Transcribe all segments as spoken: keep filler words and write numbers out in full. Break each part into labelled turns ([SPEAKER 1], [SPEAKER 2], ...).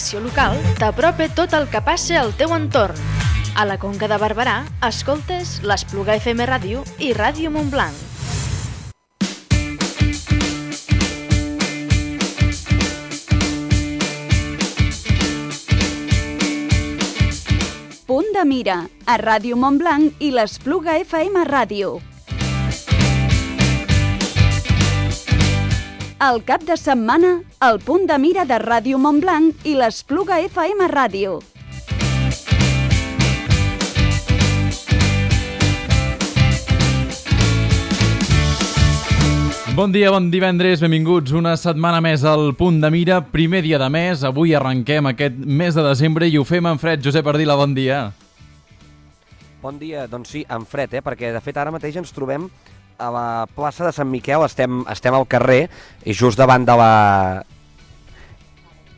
[SPEAKER 1] informació local t'apropa tot el que passa al teu entorn. A la Conca de Barberà, escoltes l'Espluga F M Ràdio i Ràdio Montblanc.
[SPEAKER 2] Punt de mira, a Ràdio Montblanc i l'Espluga F M Ràdio. El cap de setmana, el punt de mira de Ràdio Montblanc i l'Espluga F M Ràdio.
[SPEAKER 3] Bon dia, bon divendres, benvinguts una setmana més al Punt de Mira, primer dia de mes. Avui arrenquem aquest mes de desembre i ho fem en fred. Josep Ardila, bon dia.
[SPEAKER 4] Bon dia, doncs sí, en fred, eh? Perquè de fet ara mateix ens trobem a la plaça de Sant Miquel, estem, estem al carrer i just davant de la...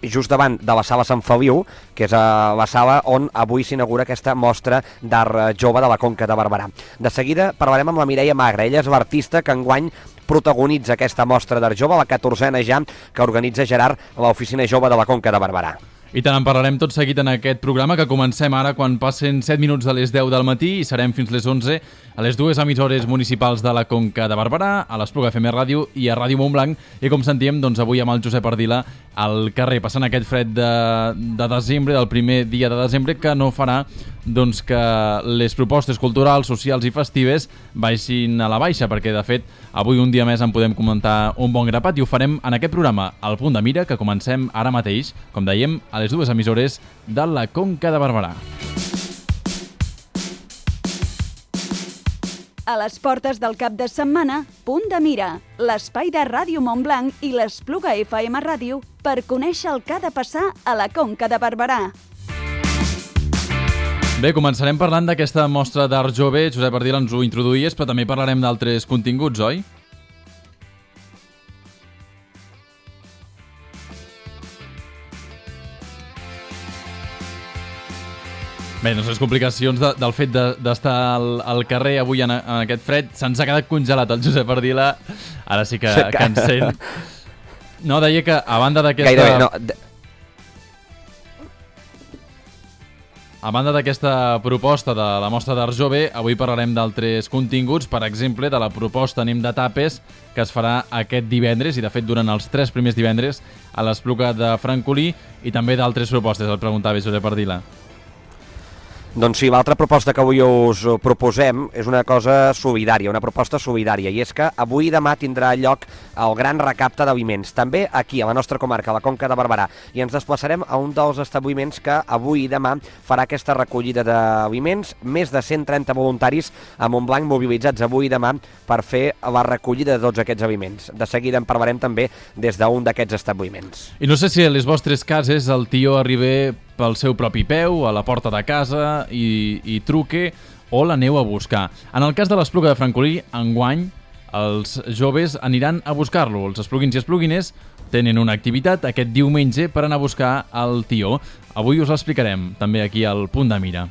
[SPEAKER 4] just davant de la sala Sant Feliu, que és la sala on avui s'inaugura aquesta mostra d'art jove de la Conca de Barberà. De seguida parlarem amb la Mireia Magre, ella és l'artista que enguany protagonitza aquesta mostra d'art jove, la catorzena ja, que organitza Gerard a l'Oficina Jove de la Conca de Barberà.
[SPEAKER 3] I tant, en parlarem tot seguit en aquest programa, que comencem ara quan passen set minuts de les deu del matí i serem fins les onze a les dues emissores municipals de la Conca de Barberà, a l'Espluga F M Ràdio i a Ràdio Montblanc. I com sentíem, doncs avui amb el Josep Ardila al carrer, passant aquest fred de, de desembre, del primer dia de desembre, que no farà doncs, que les propostes culturals, socials i festives baixin a la baixa, perquè de fet avui un dia més en podem comentar un bon grapat i ho farem en aquest programa, al Punt de Mira, que comencem ara mateix, com dèiem, a les dues emissores de la Conca de Barberà.
[SPEAKER 2] A les portes del cap de setmana, Punt de Mira, l'espai de Ràdio Montblanc i l'Espluga F M Ràdio per conèixer el que ha de passar a la Conca de Barberà.
[SPEAKER 3] Bé, començarem parlant d'aquesta mostra d'art jove. Josep Ardila, ens ho introduïes, però també parlarem d'altres continguts, oi? Bé, no sé, les complicacions de, del fet d'estar de, al, al carrer avui en, en aquest fred. Se'ns ha quedat congelat el Josep Ardila. Ara sí que, que ens sent. No, deia que a banda d'aquesta...
[SPEAKER 4] Gairebé, no...
[SPEAKER 3] A banda d'aquesta proposta de la mostra d'art jove, avui parlarem d'altres continguts, per exemple, de la proposta Anem de Tapes, que es farà aquest divendres, i de fet durant els tres primers divendres, a l'Espluga de Francolí, i també d'altres propostes, el preguntava Josep Ardila.
[SPEAKER 4] Doncs sí, l'altra proposta que avui us proposem és una cosa solidària, una proposta solidària, i és que avui i demà tindrà lloc el gran recapte d'aliments, també aquí, a la nostra comarca, a la Conca de Barberà, i ens desplaçarem a un dels establiments que avui i demà farà aquesta recollida d'aliments, més de cent trenta voluntaris a Montblanc mobilitzats avui i demà per fer la recollida de tots aquests aliments. De seguida en parlarem també des d'un d'aquests establiments.
[SPEAKER 3] I no sé si a les vostres cases el tió arriba pel seu propi peu, a la porta de casa, i, i truque, o l'aneu a buscar. En el cas de l'Espluga de Francolí, enguany, els joves aniran a buscar-lo. Els espluguins i espluguines tenen una activitat aquest diumenge per anar a buscar el tió. Avui us l'explicarem, també aquí al Punt de Mira.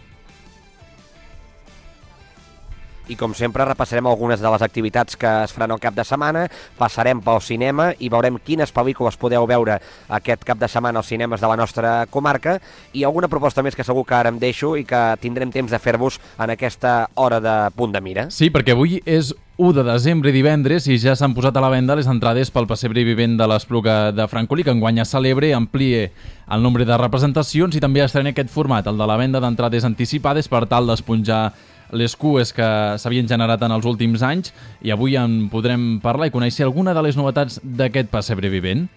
[SPEAKER 4] I com sempre repassarem algunes de les activitats que es faran al cap de setmana, passarem pel cinema i veurem quines pel·lícules podeu veure aquest cap de setmana als cinemes de la nostra comarca i alguna proposta més que segur que ara em deixo i que tindrem temps de fer-vos en aquesta hora de Punt de Mira.
[SPEAKER 3] Sí, perquè avui és u de desembre, divendres, i ja s'han posat a la venda les entrades pel pessebre vivent de l'Espluga de Francolí, que enguany es celebra, amplie el nombre de representacions i també estrena aquest format, el de la venda d'entrades anticipades per tal d'esponjar les cues que s'havien generat en els últims anys, i avui en podrem parlar i conèixer alguna de les novetats d'aquest pessebre vivent.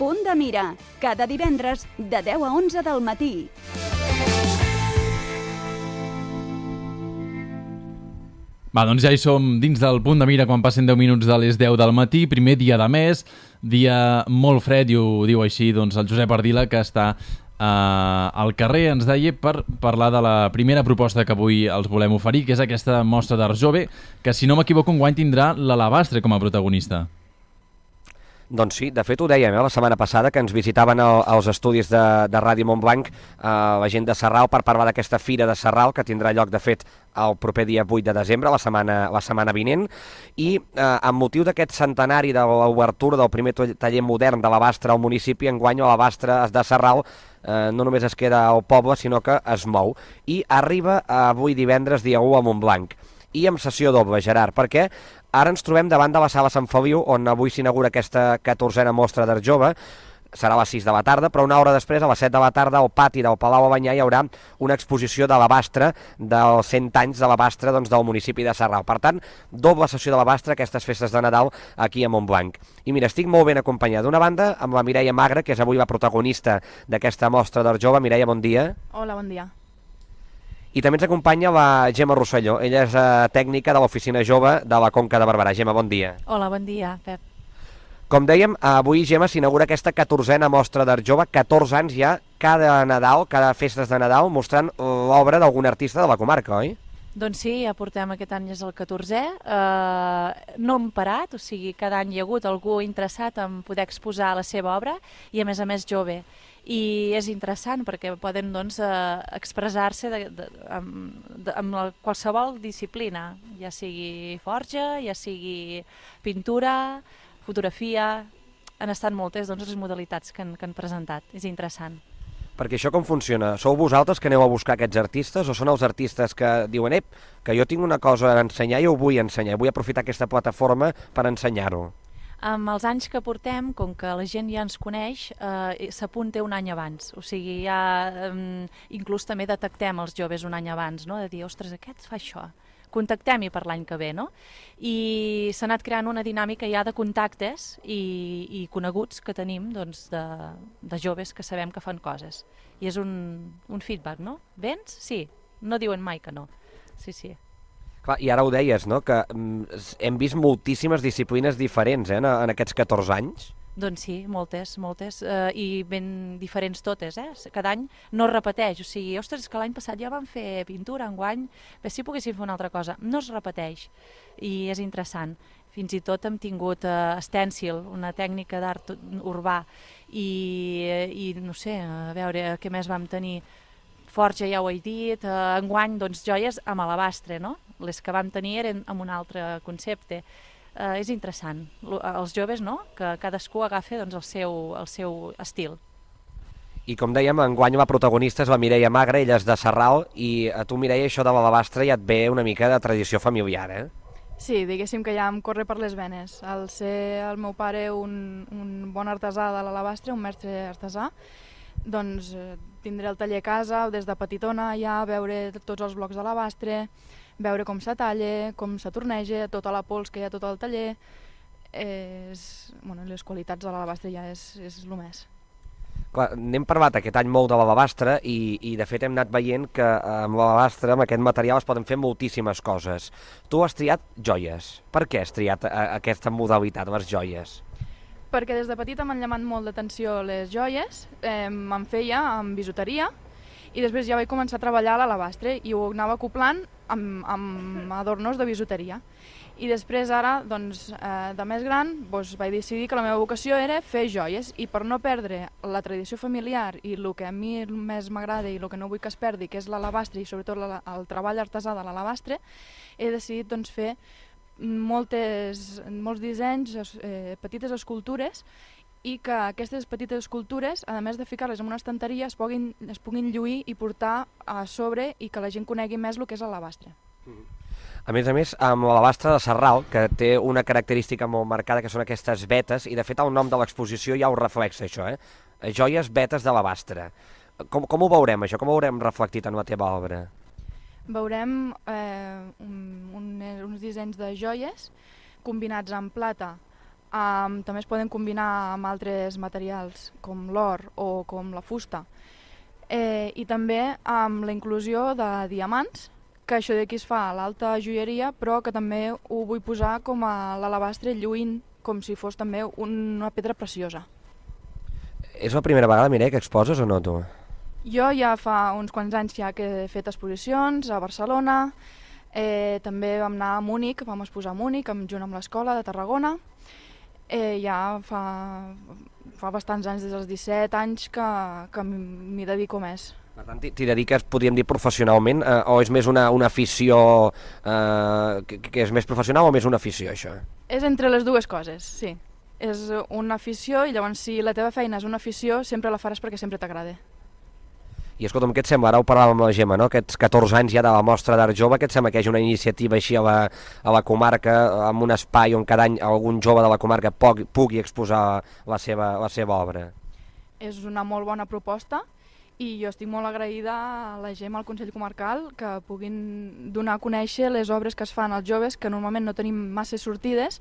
[SPEAKER 2] Punt de Mira, cada divendres de deu a onze del matí.
[SPEAKER 3] Va, doncs ja hi som dins del Punt de Mira quan passen deu minuts de les deu del matí, primer dia de mes, dia molt fred, i ho diu així doncs, el Josep Ardila, que està eh, al carrer, ens deia, per parlar de la primera proposta que avui els volem oferir, que és aquesta mostra d'art jove, que si no m'equivoco enguany tindrà l'Alabastre com a protagonista.
[SPEAKER 4] Doncs sí, de fet ho dèiem eh, la setmana passada, que ens visitaven el, els estudis de, de Ràdio Montblanc eh, la gent de Sarral per parlar d'aquesta Fira de Sarral, que tindrà lloc, de fet, el proper dia vuit de desembre, la setmana, la setmana vinent, i eh, amb motiu d'aquest centenari de l'obertura del primer taller modern de l'Abastre al municipi, enguany l'Abastre de Sarral eh, no només es queda al poble, sinó que es mou, i arriba avui divendres, dia u, a Montblanc. I amb sessió doble, Gerard, perquè ara ens trobem davant de la Sala Sant Feliu, on avui s'inaugura aquesta catorzena mostra d'art jove. Serà a les sis de la tarda, però una hora després, a les set de la tarda, al pati del Palau Albanyà hi haurà una exposició de l'Abastre, dels cent anys de l'Abastre doncs, del municipi de Sarral. Per tant, doble sessió de l'Abastre, aquestes festes de Nadal aquí a Montblanc. I mira, estic molt ben acompanyat. D'una banda, amb la Mireia Magre, que és avui la protagonista d'aquesta mostra d'art jove. Mireia, bon dia.
[SPEAKER 5] Hola, bon dia.
[SPEAKER 4] I també ens acompanya la Gemma Rosselló. Ella és eh, tècnica de l'Oficina Jove de la Conca de Barberà. Gemma, bon dia.
[SPEAKER 5] Hola, bon dia, Pep.
[SPEAKER 4] Com dèiem, avui, Gemma, s'inaugura aquesta catorzena mostra d'art jove, catorze anys ja, cada Nadal, cada festes de Nadal, mostrant l'obra d'algun artista de la comarca, oi?
[SPEAKER 5] Doncs sí, ja portem aquest any és el catorzè, eh, no hem parat, o sigui, cada any hi ha hagut algú interessat en poder exposar la seva obra i a més a més jove. I és interessant perquè poden doncs, eh, expressar-se de, de, amb, de, amb la, qualsevol disciplina, ja sigui forja, ja sigui pintura, fotografia, han estat moltes doncs, les modalitats que han, que han presentat, és interessant.
[SPEAKER 4] Perquè això com funciona? Sou vosaltres que aneu a buscar aquests artistes o són els artistes que diuen ep, que jo tinc una cosa a ensenyar i ho vull ensenyar, vull aprofitar aquesta plataforma per ensenyar-ho?
[SPEAKER 5] Amb els anys que portem, com que la gent ja ens coneix, eh, s'apunta un any abans. O sigui, ja eh, inclús també detectem els joves un any abans, no? De dir, ostres, aquest fa això. Contactem-hi per l'any que ve, no? I s'ha anat creant una dinàmica ja de contactes i, i coneguts que tenim doncs, de, de joves que sabem que fan coses. I és un, un feedback, no? Vens? Sí. No diuen mai que no. Sí, sí.
[SPEAKER 4] Clar, i ara ho deies, no?, que mm, hem vist moltíssimes disciplines diferents eh, en, en aquests catorze anys.
[SPEAKER 5] Doncs sí, moltes, moltes, eh, i ben diferents totes, eh? Cada any no es repeteix, o sigui, ostres, que l'any passat ja vam fer pintura, enguany, bé, si poguéssim fer una altra cosa, no es repeteix, i és interessant. Fins i tot hem tingut eh, estèncil, una tècnica d'art urbà, i, i no sé, a veure què més vam tenir. Forja ja ho he dit, eh, enguany doncs joies amb alabastre, no? Les que vam tenir eren amb un altre concepte. Uh, és interessant, els joves, no?, que cadascú agafa doncs, el, seu, el seu estil.
[SPEAKER 4] I com dèiem, enguany la protagonista és la Mireia Magre, ella és de Sarral, i a tu, Mireia, això de l'alabastre ja et ve una mica de tradició familiar, eh?
[SPEAKER 6] Sí, diguéssim que ja em corre per les venes. Al ser el meu pare un, un bon artesà de l'alabastre, un mestre artesà, doncs eh, tindré el taller a casa, des de petitona ja, veure tots els blocs d'alabastre, veure com se talla, com se torneja, tota la pols que hi ha tot el taller. És, bueno, les qualitats de l'alabastre ja és, és el més.
[SPEAKER 4] Clar, n'hem parlat aquest any molt de l'alabastre i, i de fet hem anat veient que amb l'alabastre, amb aquest material, es poden fer moltíssimes coses. Tu has triat joies. Per què has triat a, aquesta modalitat, les joies?
[SPEAKER 6] Perquè des de petita m'han llamat molt d'atenció les joies, eh, me'n feia amb bisuteria, i després ja vaig començar a treballar a l'alabastre i ho anava acoplant amb, amb adornos de bisuteria. I després ara, doncs, eh, de més gran, doncs, vaig decidir que la meva vocació era fer joies, i per no perdre la tradició familiar i el que a mi més m'agrada i el que no vull que es perdi, que és l'alabastre i sobretot la, el treball artesà de l'alabastre, he decidit doncs, fer moltes, molts dissenys, eh, petites escultures, i que aquestes petites escultures, a més de ficar-les en una estanteria, es puguin, es puguin lluir i portar a sobre i que la gent conegui més el que és l'alabastre.
[SPEAKER 4] A més a més, amb l'alabastre de Sarral, que té una característica molt marcada, que són aquestes vetes, i de fet el nom de l'exposició ja ho reflexa, això, eh? Joies vetes d'alabastre. Com, com ho veurem, això? Com ho veurem reflectit en la teva obra?
[SPEAKER 6] Veurem eh, un, un, uns dissenys de joies combinats amb plata. Um, també es poden combinar amb altres materials com l'or o com la fusta, eh, i també amb la inclusió de diamants, que això d'aquí es fa a l'alta joieria, però que també ho vull posar com a l'alabastre lluint, com si fos també una pedra preciosa.
[SPEAKER 4] És la primera vegada, Mireia, que exposes o no, tu?
[SPEAKER 6] Jo ja fa uns quants anys ja que he fet exposicions a Barcelona, eh, també vam anar a Múnich, vam exposar a Múnich junt amb l'escola de Tarragona. Eh, ja fa, fa bastants anys, des dels disset anys, que, que m'hi dedico més.
[SPEAKER 4] Per tant, t'hi dediques, podríem dir, professionalment, eh, o és més una, una afició eh, que, que és més professional o més una afició, això?
[SPEAKER 6] És entre les dues coses, sí. És una afició i llavors si la teva feina és una afició sempre la faràs perquè sempre t'agrada.
[SPEAKER 4] I escolta'm, què et sembla? Ara ho parlàvem amb la Gemma, no? Aquests catorze anys ja de la Mostra d'Art Jove, què et sembla que hi hagi una iniciativa així a la, a la comarca, amb un espai on cada any algun jove de la comarca pugui, pugui exposar la seva, la seva obra?
[SPEAKER 6] És una molt bona proposta i jo estic molt agraïda a la Gemma, al Consell Comarcal, que puguin donar a conèixer les obres que es fan als joves, que normalment no tenim massa sortides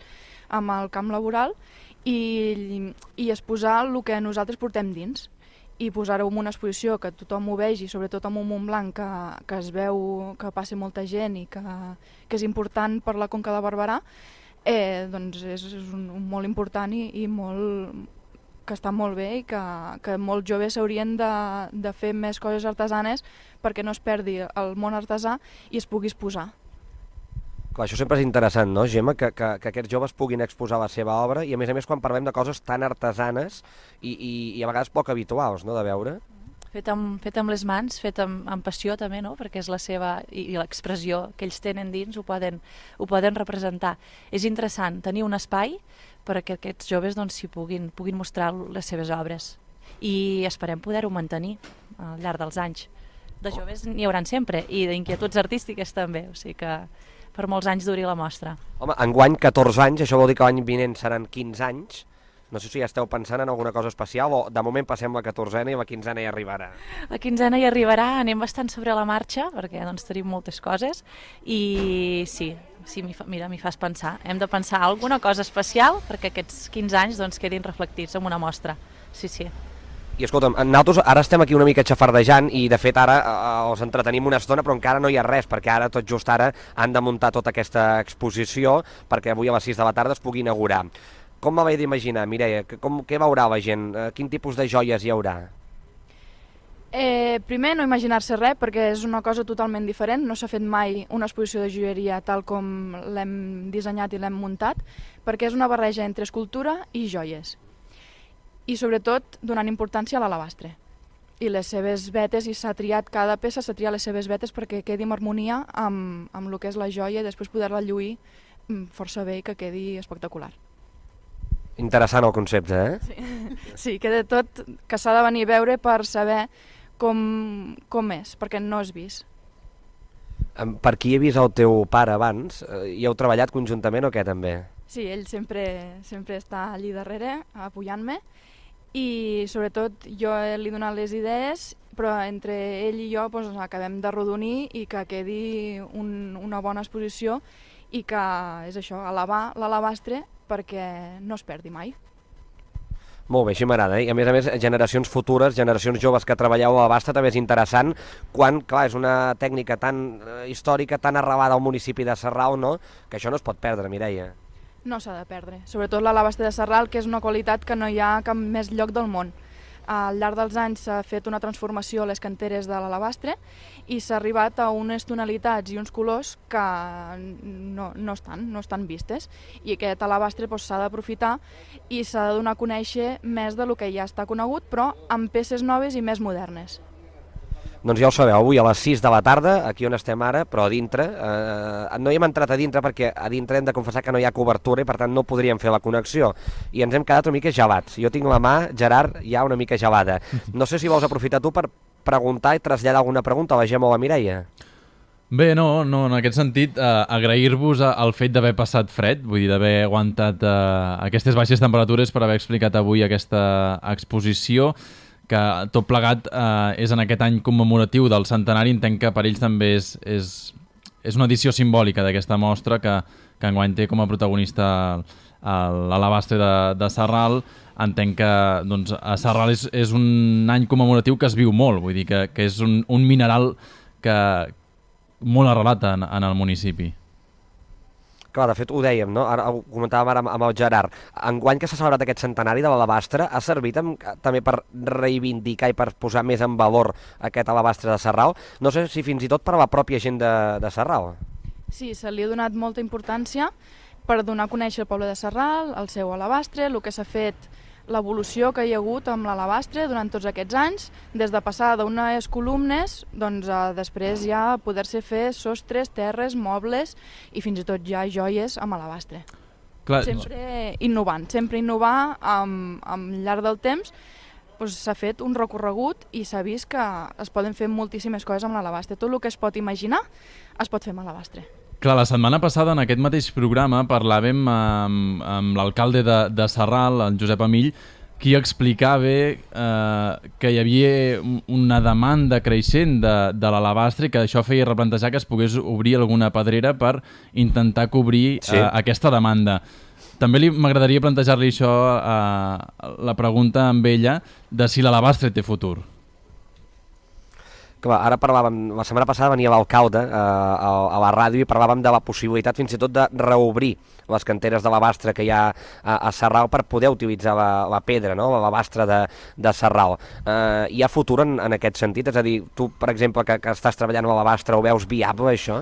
[SPEAKER 6] amb el camp laboral, i, i exposar el que nosaltres portem dins i posar-ho en una exposició que tothom ho vegi, sobretot amb un Montblanc que, que es veu que passa molta gent i que, que és important per la Conca de Barberà, eh, doncs és, és un, un molt important i, i molt, que està molt bé i que, que molts joves s'haurien de, de fer més coses artesanes perquè no es perdi el món artesà i es pugui exposar.
[SPEAKER 4] Clar, això sempre és interessant, no, Gemma, que, que, que aquests joves puguin exposar la seva obra i, a més a més, quan parlem de coses tan artesanes i, i, i a vegades poc habituals, no?, de veure.
[SPEAKER 5] Fet amb, fet amb les mans, fet amb, amb passió també, no?, perquè és la seva, i, i l'expressió que ells tenen dins ho poden, ho poden representar. És interessant tenir un espai perquè aquests joves doncs, s'hi puguin, puguin mostrar les seves obres i esperem poder-ho mantenir al llarg dels anys. De joves n'hi hauran sempre i d'inquietuds artístiques també, o sigui que per molts anys duri la mostra.
[SPEAKER 4] Home, enguany catorze anys, això vol dir que l'any vinent seran quinze anys. No sé si ja esteu pensant en alguna cosa especial o de moment passem la catorzena i la quinzena hi arribarà.
[SPEAKER 5] La quinzena hi arribarà, anem bastant sobre la marxa perquè doncs, tenim moltes coses i sí, sí fa, mira, m'hi fas pensar. Hem de pensar alguna cosa especial perquè aquests quinze anys doncs, quedin reflectits en una mostra. Sí, sí.
[SPEAKER 4] I escolta'm, nosaltres ara estem aquí una mica xafardejant i de fet ara eh, els entretenim una estona però encara no hi ha res perquè ara tot just ara han de muntar tota aquesta exposició perquè avui a les sis de la tarda es pugui inaugurar. Com m'havia d'imaginar, Mireia? Com, què veurà la gent? Quin tipus de joies hi haurà?
[SPEAKER 6] Eh, primer, no imaginar-se res, perquè és una cosa totalment diferent. No s'ha fet mai una exposició de joieria tal com l'hem dissenyat i l'hem muntat, perquè és una barreja entre escultura i joies. I sobretot donant importància a l'alabastre i les seves vetes, i s'ha triat cada peça, s'ha triat les seves vetes perquè quedi en harmonia amb, amb el que és la joia i després poder-la lluir força bé i que quedi espectacular.
[SPEAKER 4] Interessant el concepte, eh?
[SPEAKER 6] Sí, sí, que de tot que s'ha de venir a veure per saber com, com és, perquè no és vist.
[SPEAKER 4] Per qui he vist el teu pare abans? Hi heu treballat conjuntament o què també?
[SPEAKER 6] Sí, ell sempre, sempre està allí darrere apoyant-me i sobretot jo li he donat les idees, però entre ell i jo doncs, acabem d'arrodonir i que quedi un, una bona exposició i que és això, elevar l'alabastre perquè no es perdi mai.
[SPEAKER 4] Molt bé, així m'agrada, eh? I a més a més, generacions futures, generacions joves que treballeu a l'alabastre també és interessant quan, clar, és una tècnica tan eh, històrica, tan arrelada al municipi de Sarral, no?, que això no es pot perdre, Mireia.
[SPEAKER 6] No s'ha de perdre, sobretot l'alabastre de Sarral, que és una qualitat que no hi ha cap més lloc del món. Al llarg dels anys s'ha fet una transformació a les canteres de l'alabastre i s'ha arribat a unes tonalitats i uns colors que no, no, estan, no estan vistes. I aquest alabastre doncs, s'ha d'aprofitar i s'ha de donar a conèixer més del que ja està conegut, però amb peces noves i més modernes.
[SPEAKER 4] Doncs ja ho sabeu, avui a les sis de la tarda, aquí on estem ara, però a dintre, eh, no hi hem entrat a dintre perquè a dintre hem de confessar que no hi ha cobertura i per tant no podríem fer la connexió i ens hem quedat una mica gelats. Jo tinc la mà, Gerard, ja una mica gelada. No sé si vols aprofitar tu per preguntar i traslladar alguna pregunta a la Gemma o a la Mireia.
[SPEAKER 3] Bé, no, no, en aquest sentit, eh, agrair-vos el fet d'haver passat fred, vull dir, d'haver aguantat eh, aquestes baixes temperatures per haver explicat avui aquesta exposició, que tot plegat eh, és en aquest any commemoratiu del centenari. Entenc que per ells també és, és, és una edició simbòlica d'aquesta mostra que, que enguany té com a protagonista l'alabastre de, de Sarral. Entenc que doncs, a Sarral és, és un any commemoratiu que es viu molt, vull dir que, que és un, un mineral que molt arrelat en, en el municipi.
[SPEAKER 4] Clar, de fet ho dèiem, no? Ara ho comentàvem ara amb el Gerard. Enguany que s'ha celebrat aquest centenari de l'alabastre, ha servit amb, també per reivindicar i per posar més en valor aquest alabastre de Sarral? No sé si fins i tot per a la pròpia gent de, de Sarral.
[SPEAKER 6] Sí, se li ha donat molta importància per donar a conèixer el poble de Sarral, el seu alabastre, el que s'ha fet, l'evolució que hi ha hagut amb l'alabastre durant tots aquests anys, des de passar d'unes columnes, doncs a després ja poder-se fer sostres, terres, mobles i fins i tot ja joies amb alabastre.
[SPEAKER 3] Clar.
[SPEAKER 6] Sempre innovant, sempre innovar amb, amb llarg del temps. Doncs s'ha fet un recorregut i s'ha vist que es poden fer moltíssimes coses amb l'alabastre. Tot el que es pot imaginar es pot fer amb l'alabastre.
[SPEAKER 3] Clar, la setmana passada en aquest mateix programa parlàvem amb, amb l'alcalde de, de Sarral, en Josep Amill, qui explicava eh, que hi havia una demanda creixent de, de l'alabastre i que això feia replantejar que es pogués obrir alguna pedrera per intentar cobrir sí. eh, aquesta demanda. També li m'agradaria plantejar-li això, eh, la pregunta amb ella, de si l'alabastre té futur.
[SPEAKER 4] Clar, ara parlàvem, la setmana passada venia l'alcalde eh, a, a la ràdio i parlàvem de la possibilitat fins i tot de reobrir les canteres d'alabastre que hi ha a, a Sarral per poder utilitzar la, la pedra, no? L'alabastre de, de Sarral. Eh, hi ha futur en, en aquest sentit? És a dir, tu, per exemple, que, que estàs treballant a l'alabastre, ho veus viable, això?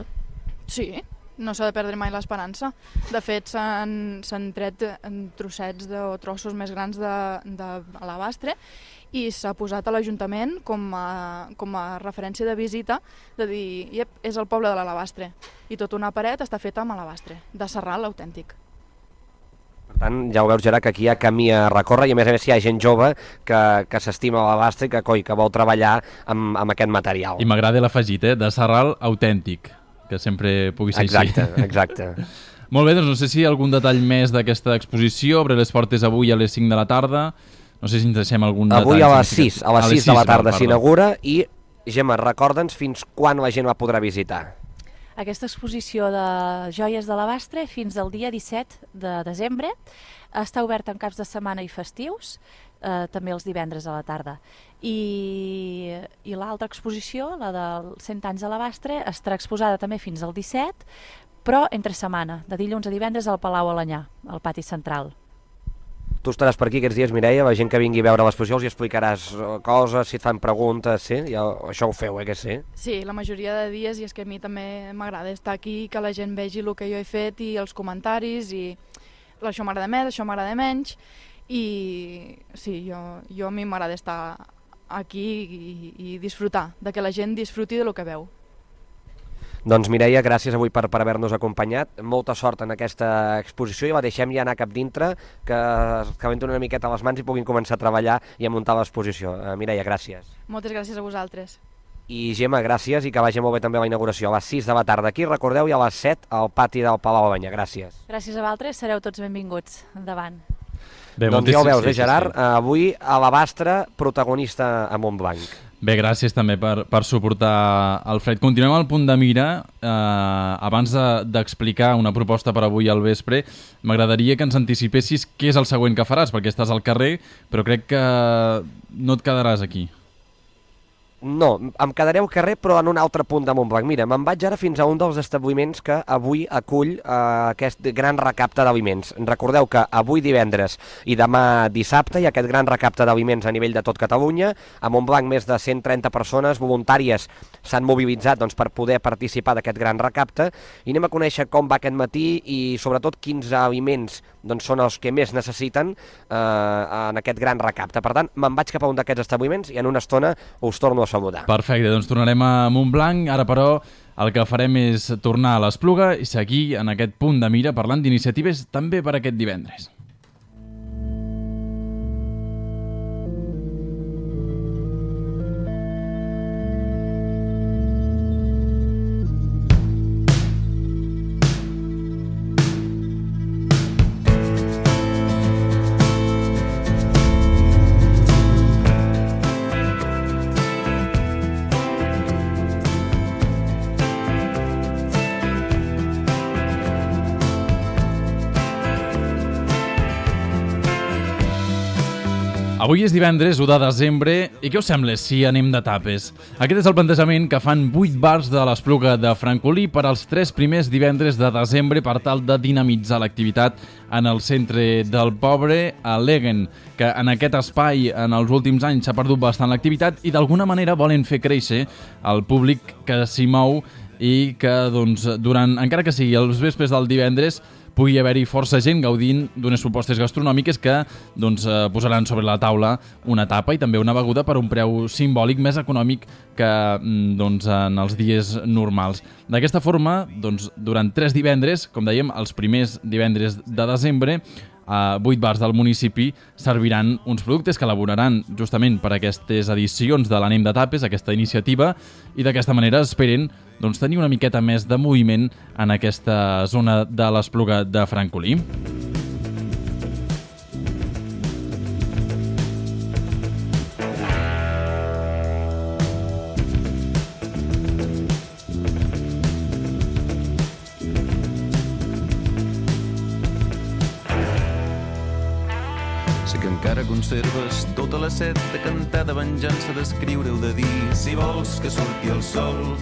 [SPEAKER 6] Sí, no s'ha de perdre mai l'esperança. De fet, s'han tret trossets de, o trossos més grans d'alabastre i s'ha posat a l'Ajuntament com, a, com a referència de visita, de dir, iep, és el poble de l'alabastre. I tota una paret està feta amb alabastre, de Sarral autèntic.
[SPEAKER 4] Per tant, ja ho veus, Gerard, que aquí hi ha camí a recórrer i a més a més hi ha gent jove que, que s'estima l'alabastre i que, coi, que vol treballar amb, amb aquest material.
[SPEAKER 3] I m'agrada l'afegit, eh? De Sarral autèntic, que sempre pugui ser
[SPEAKER 4] exacte,
[SPEAKER 3] així.
[SPEAKER 4] Exacte, exacte.
[SPEAKER 3] Molt bé, doncs no sé si hi ha algun detall més d'aquesta exposició. Obre les portes avui a les cinc de la tarda. No sé si ens deixem algun detall.
[SPEAKER 4] Avui a les sis, a les sis de la tarda s'inaugura i, Gemma, recorda'ns fins quan la gent la podrà visitar.
[SPEAKER 5] Aquesta exposició de joies d'alabastre fins al dia disset de desembre està oberta en caps de setmana i festius, eh, també els divendres a la tarda. I, i l'altra exposició, la dels cent anys d'alabastre, estarà exposada també fins al disset, però entre setmana, de dilluns a divendres al Palau Alanyà, al pati central.
[SPEAKER 4] Tu estaràs per aquí aquests dies, Mireia, la gent que vingui a veure l'exposició els hi explicaràs coses, si et fan preguntes, sí? Ja, això ho feu, eh, que sí?
[SPEAKER 6] Sí, la majoria de dies, i és que a mi també m'agrada estar aquí, que la gent vegi el que jo he fet i els comentaris, i això m'agrada més, això m'agrada menys, i sí, jo, jo a mi m'agrada estar aquí i, i disfrutar, de que la gent disfruti de lo que veu.
[SPEAKER 4] Doncs Mireia, gràcies avui per, per haver-nos acompanyat. Molta sort en aquesta exposició i la deixem ja anar cap dintre, que que venti una miqueta a les mans i puguin començar a treballar i a muntar l'exposició. Uh, Mireia, gràcies.
[SPEAKER 6] Moltes gràcies a vosaltres.
[SPEAKER 4] I Gemma, gràcies i que vagi molt bé també la inauguració. A les sis de la tarda aquí, recordeu, i a les set al pati del Palau Alanyà. Gràcies.
[SPEAKER 5] Gràcies a vosaltres, sereu tots benvinguts. Endavant.
[SPEAKER 4] Bé, doncs ja ho veus, eh, Gerard? Sí, sí. Avui alabastre protagonista a Montblanc.
[SPEAKER 3] Bé, gràcies també per, per suportar el fred. Continuem al punt de mira. Eh, abans d'explicar de, una proposta per avui al vespre, m'agradaria que ens anticipessis què és el següent que faràs, perquè estàs al carrer, però crec que no et quedaràs aquí.
[SPEAKER 4] No, em quedaré al carrer però en un altre punt de Montblanc. Mira, me'n vaig ara fins a un dels establiments que avui acull eh, aquest gran recapte d'aliments. Recordeu que avui divendres i demà dissabte hi ha aquest gran recapte d'aliments a nivell de tot Catalunya. A Montblanc més de cent trenta persones voluntàries s'han mobilitzat doncs, per poder participar d'aquest gran recapte i anem a conèixer com va aquest matí i sobretot quins aliments doncs, són els que més necessiten eh, en aquest gran recapte. Per tant, me'n vaig cap a un d'aquests establiments i en una estona us torno a saludar.
[SPEAKER 3] Perfecte, doncs tornarem a Montblanc. Ara, però, el que farem és tornar a l'Espluga i seguir en aquest punt de mira parlant d'iniciatives també per aquest divendres. Avui és divendres, u de desembre, i què us sembla si anem de tapes? Aquest és el plantejament que fan vuit bars de l'Espluga de Francolí per als tres primers divendres de desembre per tal de dinamitzar l'activitat en el centre del poble, a Legen, que en aquest espai en els últims anys s'ha perdut bastant l'activitat i d'alguna manera volen fer créixer el públic que s'hi mou i que, doncs, durant, encara que sigui els vespres del divendres, pugui haver-hi força gent gaudint d'unes propostes gastronòmiques que doncs, eh, posaran sobre la taula una tapa i també una beguda per un preu simbòlic més econòmic que doncs, en els dies normals. D'aquesta forma, doncs, durant tres divendres, com dèiem, els primers divendres de desembre, a vuit bars del municipi serviran uns productes que elaboraran justament per aquestes edicions de l'Anem de Tapes, aquesta iniciativa, i d'aquesta manera esperen doncs, tenir una miqueta més de moviment en aquesta zona de l'Espluga de Francolí.
[SPEAKER 7] Conserves tota la set de cantar, de venjança, d'escriure o de dir. Si vols que surti el sol,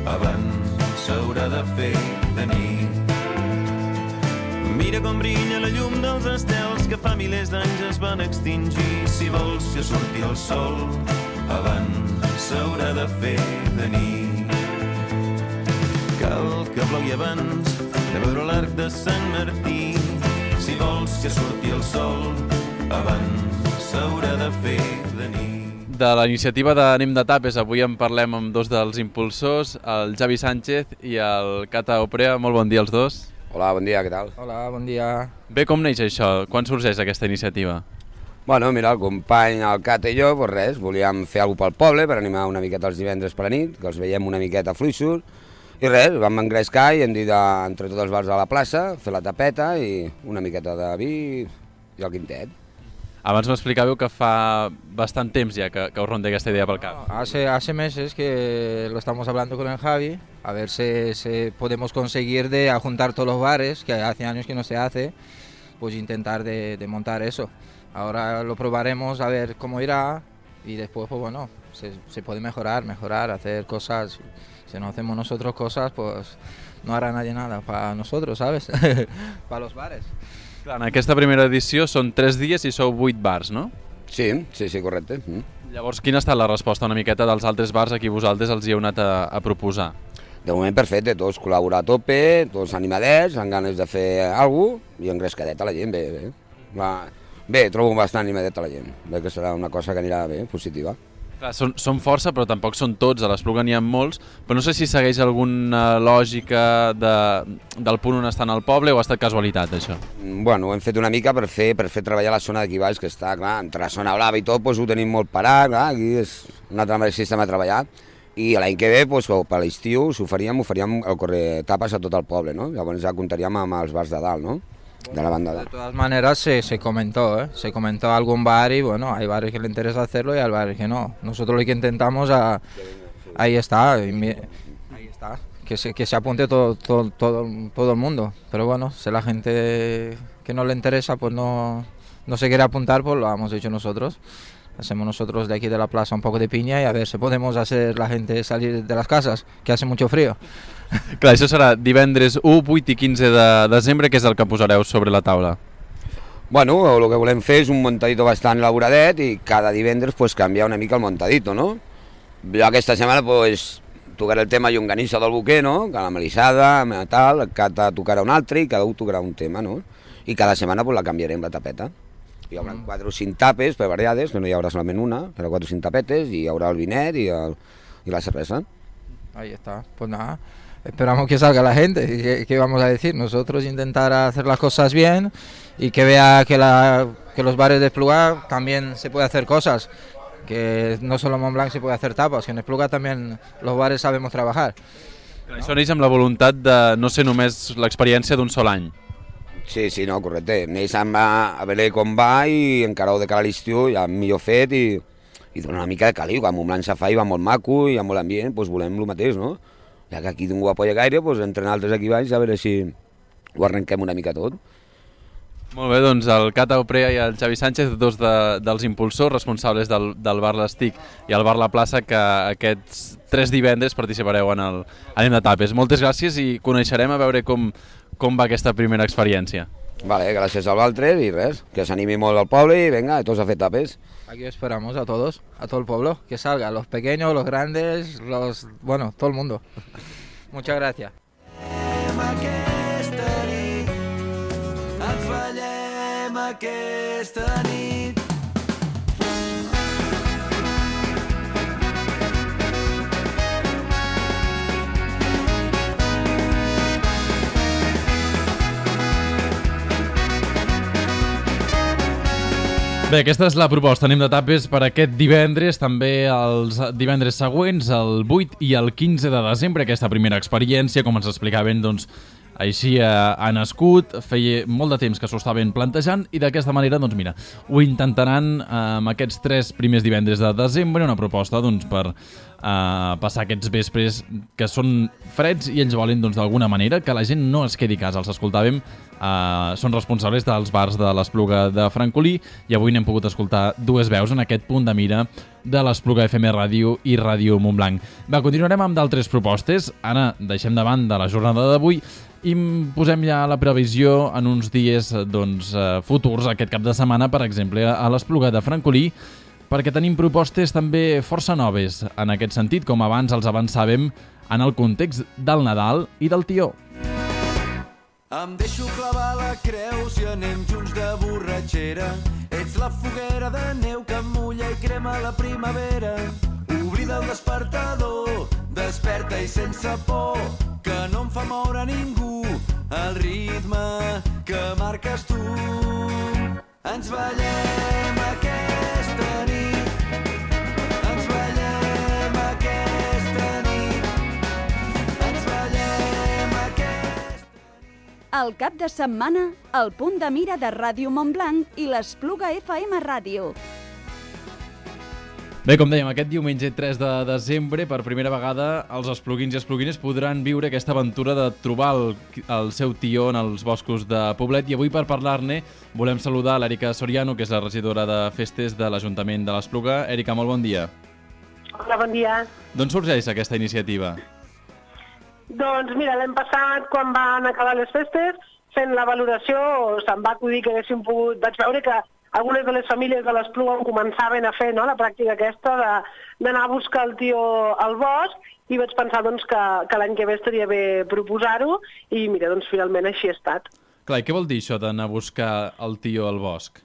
[SPEAKER 7] abans s'haurà de fer de nit. Mira com brilla la llum dels estels que fa milers d'anys es van extingir. Si vols que surti el sol, abans s'haurà de fer de nit. Cal que plogui abans de veure l'arc de Sant Martí. Si vols que surti el sol, abans s'haurà de fer de nit.
[SPEAKER 3] De la iniciativa d'Anem de Tapes avui en parlem amb dos dels impulsors, el Javi Sánchez i el Cata Oprea. Molt bon dia als dos.
[SPEAKER 8] Hola, bon dia, què tal?
[SPEAKER 9] Hola, bon dia.
[SPEAKER 3] Bé, com neix això? Quan sorgeix aquesta iniciativa?
[SPEAKER 8] Bueno, mira, el company, el Cata i jo, doncs res, volíem fer alguna pel poble per animar una miqueta els divendres per la nit, que els veiem una miqueta fluixos, i res, vam engrescar i hem dit entre tots els bars de la plaça, fer la tapeta i una miqueta de vi i el quintet.
[SPEAKER 3] Abans m'explicàveu que fa bastant temps ja que, que us ronda aquesta idea pel cap.
[SPEAKER 9] Hace, hace meses que lo estamos hablando con el Javi, a ver si, si podemos conseguir de juntar todos los bares, que hace años que no se hace, pues intentar de, de montar eso. Ahora lo probaremos a ver cómo irá y después, pues bueno, se, se puede mejorar, mejorar, hacer cosas. Si no hacemos nosotros cosas, pues no hará nadie nada para nosotros, ¿sabes? Para los bares.
[SPEAKER 3] En aquesta primera edició són tres dies i sou vuit bars, no?
[SPEAKER 8] Sí, sí, sí, correcte. Mm.
[SPEAKER 3] Llavors, quina ha estat la resposta una miqueta dels altres bars a qui vosaltres els hi heu anat a, a proposar?
[SPEAKER 8] De moment perfecte, tots col·laborar a tope, tots animadets, amb ganes de fer alguna cosa i engrescadet a la gent, bé, bé. Va, bé, trobo bastant animadet a la gent, bé que serà una cosa que anirà bé, positiva.
[SPEAKER 3] Clar, són, són força, però tampoc són tots, a l'Espluga n'hi ha molts, però no sé si segueix alguna lògica de, del punt on estan al poble o ha estat casualitat, això?
[SPEAKER 8] Bueno, ho hem fet una mica per fer, per fer treballar la zona d'aquí baix, que està, clar, entre la zona blava i tot, doncs, ho tenim molt parat, clar, aquí és un altre sistema de treballar, i l'any que ve, doncs, per l'estiu, si ho faríem, ho faríem el correr tapes a tot el poble, no? Llavors ja comptaríem amb els bars de dalt, no? De la banda de...
[SPEAKER 9] de todas maneras se, se comentó, ¿eh? Se comentó algún bar y bueno, hay bares que le interesa hacerlo y hay bares que no. Nosotros lo que intentamos, a, ahí está, ahí está, que se, que se apunte todo, todo, todo, todo el mundo. Pero bueno, si la gente que no le interesa pues no, no se quiere apuntar, pues lo hemos hecho nosotros. Hacemos nosotros de aquí de la plaza un poco de piña y a ver si podemos hacer la gente salir de las casas, que hace mucho frío.
[SPEAKER 3] Clar, això serà divendres u, vuit i quinze de desembre, que és el que posareu sobre la taula.
[SPEAKER 8] Bueno, el que volem fer és un montadito bastant elaboradet i cada divendres pues, canviar una mica el montadito, no? Jo aquesta setmana pues, tocaré el tema llonganissa del Boquer, no? Que la melissada, tal, el Cata tocarà un altre i cada un tocarà un tema, no? I cada setmana pues, la canviarem la tapeta. Hi haurà mm. quatre o cinc tapes per variades, que no hi haurà solament una, però quatre o cinc tapetes i hi haurà el vinet i, el, i la cervesa.
[SPEAKER 9] Ahí está, pues nada. Esperamos que salga la gente, ¿qué, qué vamos a decir? Nosotros intentar hacer las cosas bien y que vea que, la, que los bares de Espluga también se puede hacer cosas, que no solo en Montblanc se puede hacer tapas, que en Espluga también los bares sabemos trabajar.
[SPEAKER 3] ¿No? Això neix amb la voluntat de no ser només l'experiència d'un sol any.
[SPEAKER 8] Sí, sí, no, correcte. Neix amb a, a veure com va i encara ho de cara a l'estiu ja millor fet i, i dona una mica de caliu, que a Montblanc se fa i va molt maco i hi ha molt ambient, doncs volem el mateix, no? Ja que aquí ningú apoya gaire, doncs entre altres aquí baix, a veure si ho arrenquem una mica tot.
[SPEAKER 3] Molt bé, doncs el Cata Oprea i el Javi Sánchez, dos de, dels impulsors responsables del, del bar L'Estic i el bar La Plaça, que aquests tres divendres participareu en el Anem de Tapes. Moltes gràcies i coneixerem a veure com, com va aquesta primera experiència.
[SPEAKER 8] Vale, gràcies al Valtres i res, que s'animi molt al poble i venga, tots a fer tapes.
[SPEAKER 9] Aquí esperamos a todos, a todo el pueblo, que salga, los pequeños, los grandes, los, bueno, todo el mundo. Muchas gracias.
[SPEAKER 7] aquesta nit.
[SPEAKER 3] Bé, aquesta és la proposta. Anem de tapes per aquest divendres, també els divendres següents, el vuit i el quinze de desembre. Aquesta primera experiència, com ens explicaven, doncs, així ha nascut, feia molt de temps que s'ho estaven plantejant i d'aquesta manera, doncs mira, ho intentaran amb aquests tres primers divendres de desembre, una proposta doncs, per uh, passar aquests vespres que són freds i ells volen doncs, d'alguna manera que la gent no es quedi a casa. Els escoltàvem, uh, són responsables dels bars de l'Espluga de Francolí i avui n'hem pogut escoltar dues veus en aquest punt de mira de l'Espluga F M Ràdio i Ràdio Montblanc. Va, continuarem amb d'altres propostes. Ara deixem de banda la jornada d'avui i posem ja la previsió en uns dies doncs, futurs, aquest cap de setmana, per exemple, a l'Espluga de Francolí, perquè tenim propostes també força noves en aquest sentit, com abans els avançàvem en el context del Nadal i del Tió.
[SPEAKER 7] Em deixo clavar la creu si anem junts de borratxera. Ets la foguera de neu que em mulla i crema la primavera. Oblida el despertador, desperta i sense por, que no em fa moure ningú, el ritme que marques tu. Ens ballem aquesta nit, ens ballem aquesta nit, ens ballem aquesta nit.
[SPEAKER 2] El cap de setmana, el punt de mira de Ràdio Montblanc i l'Espluga F M Ràdio.
[SPEAKER 3] Bé, com dèiem, aquest diumenge tres de desembre, per primera vegada, els espluguins i espluguines podran viure aquesta aventura de trobar el, el seu tió en els boscos de Poblet. I avui, per parlar-ne, volem saludar l'Èrica Soriano, que és la regidora de Festes de l'Ajuntament de l'Espluga. Èrica, molt bon dia.
[SPEAKER 10] Hola, bon dia.
[SPEAKER 3] D'on sorgeix aquesta iniciativa?
[SPEAKER 10] Doncs mira, l'any passat, quan van acabar les festes, fent la valoració, se'm va acudir que haguéssim pogut... Vaig veure que algunes de les famílies de l'Espluga començaven a fer, no?, la pràctica aquesta d'anar a buscar el tió al bosc, i vaig pensar doncs, que, que l'any que ve estaria bé proposar-ho, i mira, doncs finalment així ha estat.
[SPEAKER 3] Clar, i què vol dir això d'anar a buscar el tió al bosc?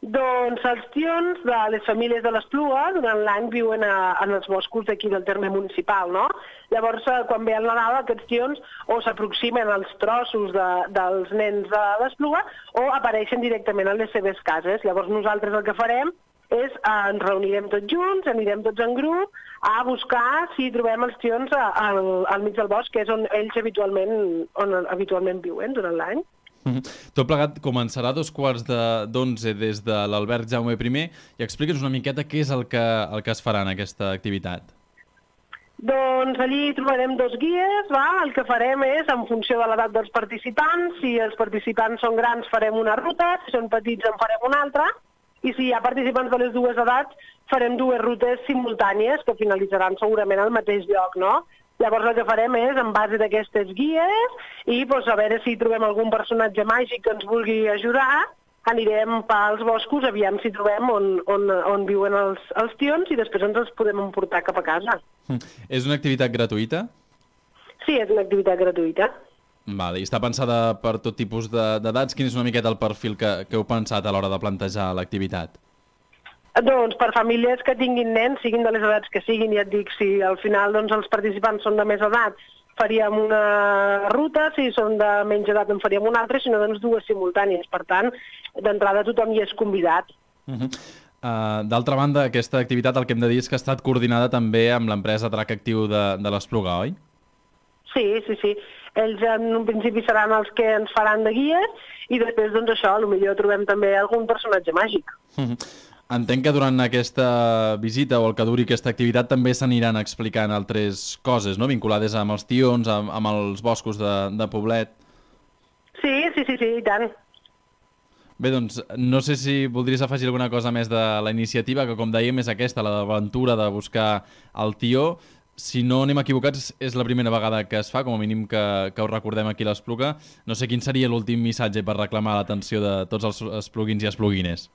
[SPEAKER 10] Doncs els tions de les famílies de l'Espluga durant l'any viuen a, en els boscos d'aquí del terme municipal, no? Llavors, quan ve el Nadal, aquests tions o s'aproximen als trossos de, dels nens de l'Espluga o apareixen directament a les seves cases. Llavors nosaltres el que farem és eh, ens reunirem tots junts, anirem tots en grup a buscar si trobem els tions al, al mig del bosc, que és on ells habitualment, on habitualment viuen durant l'any.
[SPEAKER 3] Mm-hmm. Tot plegat començarà a dos quarts d'onze de, des de l'Albert Jaume I i explica'ns una miqueta què és el que, el que es farà en aquesta activitat.
[SPEAKER 10] Doncs allí trobarem dos guies, va? El que farem és, en funció de l'edat dels participants, si els participants són grans farem una ruta, si són petits en farem una altra, i si hi ha participants de les dues edats farem dues rutes simultànies que finalitzaran segurament al mateix lloc, no? Llavors el que farem és, en base d'aquestes guies, i doncs, a veure si trobem algun personatge màgic que ens vulgui ajudar, anirem pels boscos, aviam si trobem on, on, on viuen els, els tions i després ens els podem emportar cap a casa.
[SPEAKER 3] Mm. És una activitat gratuïta?
[SPEAKER 10] Sí, és una activitat gratuïta.
[SPEAKER 3] Vale, i està pensada per tot tipus d'edats. Quin és una miqueta el perfil que, que heu pensat a l'hora de plantejar l'activitat?
[SPEAKER 10] Doncs per famílies que tinguin nens, siguin de les edats que siguin, ja et dic, si al final doncs, els participants són de més edat, faríem una ruta, si són de menys edat en faríem una altra, sinó doncs dues simultànies. Per tant, d'entrada tothom hi és convidat.
[SPEAKER 3] Uh-huh. uh, D'altra banda, aquesta activitat el que hem de dir és que ha estat coordinada també amb l'empresa Drac Actiu de, de l'Espluga, oi?
[SPEAKER 10] Sí, sí, sí. Ells en un principi seran els que ens faran de guies i després, doncs això, potser trobem també algun personatge màgic.
[SPEAKER 3] Uh-huh. Entenc que durant aquesta visita o el que duri aquesta activitat també s'aniran explicant altres coses, no?, vinculades amb els tions, amb, amb els boscos de, de Poblet.
[SPEAKER 10] Sí, sí, sí, sí, i tant.
[SPEAKER 3] Bé, doncs, no sé si voldries afegir alguna cosa més de la iniciativa, que com dèiem és aquesta, la d'aventura de buscar el tió. Si no anem equivocats, és la primera vegada que es fa, com a mínim que, que ho recordem aquí a l'Espluga. No sé quin seria l'últim missatge per reclamar l'atenció de tots els espluguins i espluguines.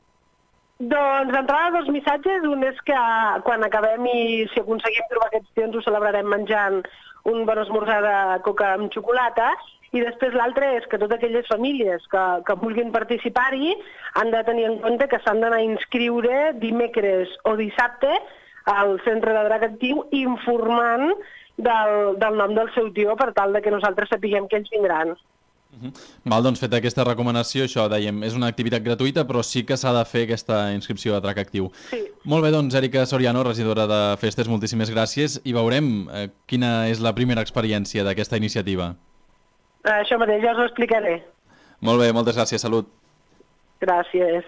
[SPEAKER 10] Doncs d'entrada dos missatges. Un és que quan acabem i si aconseguim trobar aquests tions ho celebrarem menjant un bon esmorzar de coca amb xocolata I després l'altre és que totes aquelles famílies que, que vulguin participar-hi han de tenir en compte que s'han d'anar a inscriure dimecres o dissabte al centre de drac actiu informant del, del nom del seu tio per tal de que nosaltres sapiguem que ells vindran.
[SPEAKER 3] Uh-huh. Val, doncs feta aquesta recomanació, això dèiem, és una activitat gratuïta, però sí que s'ha de fer aquesta inscripció a drac actiu.
[SPEAKER 10] Sí.
[SPEAKER 3] Molt bé, doncs, Èrica Soriano, regidora de Festes, moltíssimes gràcies i veurem eh, quina és la primera experiència d'aquesta iniciativa.
[SPEAKER 10] Això mateix, ja us ho explicaré.
[SPEAKER 3] Molt bé, moltes gràcies, salut.
[SPEAKER 10] Gràcies.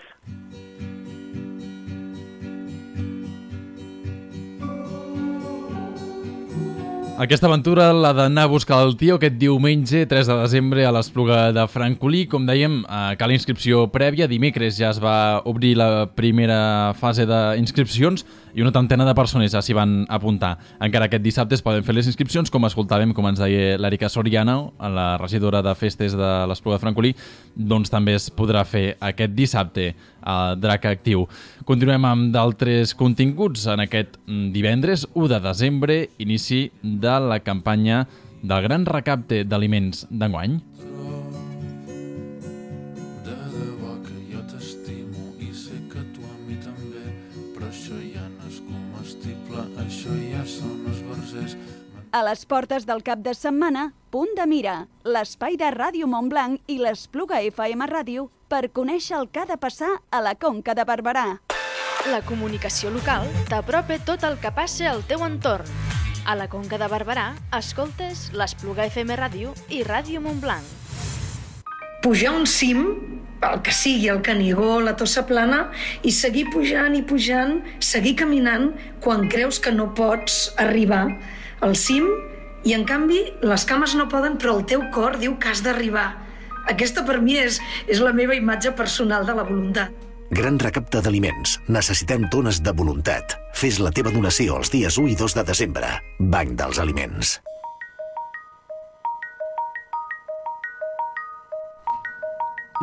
[SPEAKER 3] Aquesta aventura l'ha d'anar a buscar el tio aquest diumenge, tres de desembre, a l'Espluga de Francolí. Com dèiem, cal inscripció prèvia. Dimecres ja es va obrir la primera fase d'inscripcions i una trentena de persones ja s'hi van apuntar. Encara aquest dissabte es poden fer les inscripcions, com escoltàvem, com ens deia l'Èrica Soriano, la regidora de Festes de l'Espluga de Francolí, doncs també es podrà fer aquest dissabte a Drac Actiu. Continuem amb d'altres continguts. En aquest divendres, u de desembre, inici de la campanya del gran recapte d'aliments d'enguany.
[SPEAKER 7] De debò que jo t'estimo i sé que tu a mi també, però això ja no és comestible, això ja són esbarzers.
[SPEAKER 2] A les portes del cap de setmana, Punt de Mira, l'espai de Ràdio Montblanc i l'Espluga F M Ràdio per conèixer el que ha de passar a la Conca de Barberà.
[SPEAKER 1] La comunicació local t'apropa tot el que passa al teu entorn. A la Conca de Barberà, escoltes l'Espluga F M Ràdio i Ràdio Montblanc.
[SPEAKER 11] Pujar un cim, el que sigui, el Canigó, la Tossa Plana, i seguir pujant i pujant, seguir caminant quan creus que no pots arribar al cim i, en canvi, les cames no poden, però el teu cor diu que has d'arribar. Aquesta, per mi, és, és la meva imatge personal de la voluntat.
[SPEAKER 12] Gran recapte d'aliments. Necessitem tones de voluntat. Fes la teva donació els dies u i dos de desembre. Banc dels Aliments.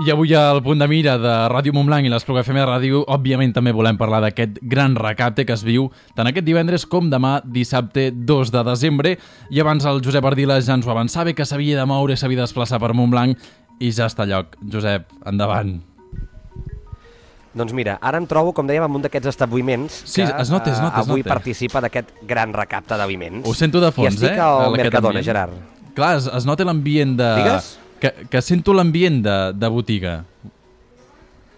[SPEAKER 3] I avui al Punt de Mira de Ràdio Montblanc i l'Espluga F M Ràdio, òbviament també volem parlar d'aquest gran recapte que es viu tant aquest divendres com demà dissabte dos de desembre. I abans el Josep Ardila ja ens ho avançava, que s'havia de moure, s'havia de desplaçar per Montblanc i ja està a lloc. Josep, endavant.
[SPEAKER 4] Doncs mira, ara em trobo, com dèiem, en un d'aquests establiments
[SPEAKER 3] sí,
[SPEAKER 4] que
[SPEAKER 3] es nota, es nota, es
[SPEAKER 4] avui
[SPEAKER 3] nota.
[SPEAKER 4] participa d'aquest gran recapte d'aliments.
[SPEAKER 3] Ho sento de fons,
[SPEAKER 4] I estic
[SPEAKER 3] eh?
[SPEAKER 4] al Mercadona, Gerard.
[SPEAKER 3] Clar, es, es nota l'ambient de...
[SPEAKER 4] Digues?
[SPEAKER 3] Que, que sento l'ambient de, de botiga.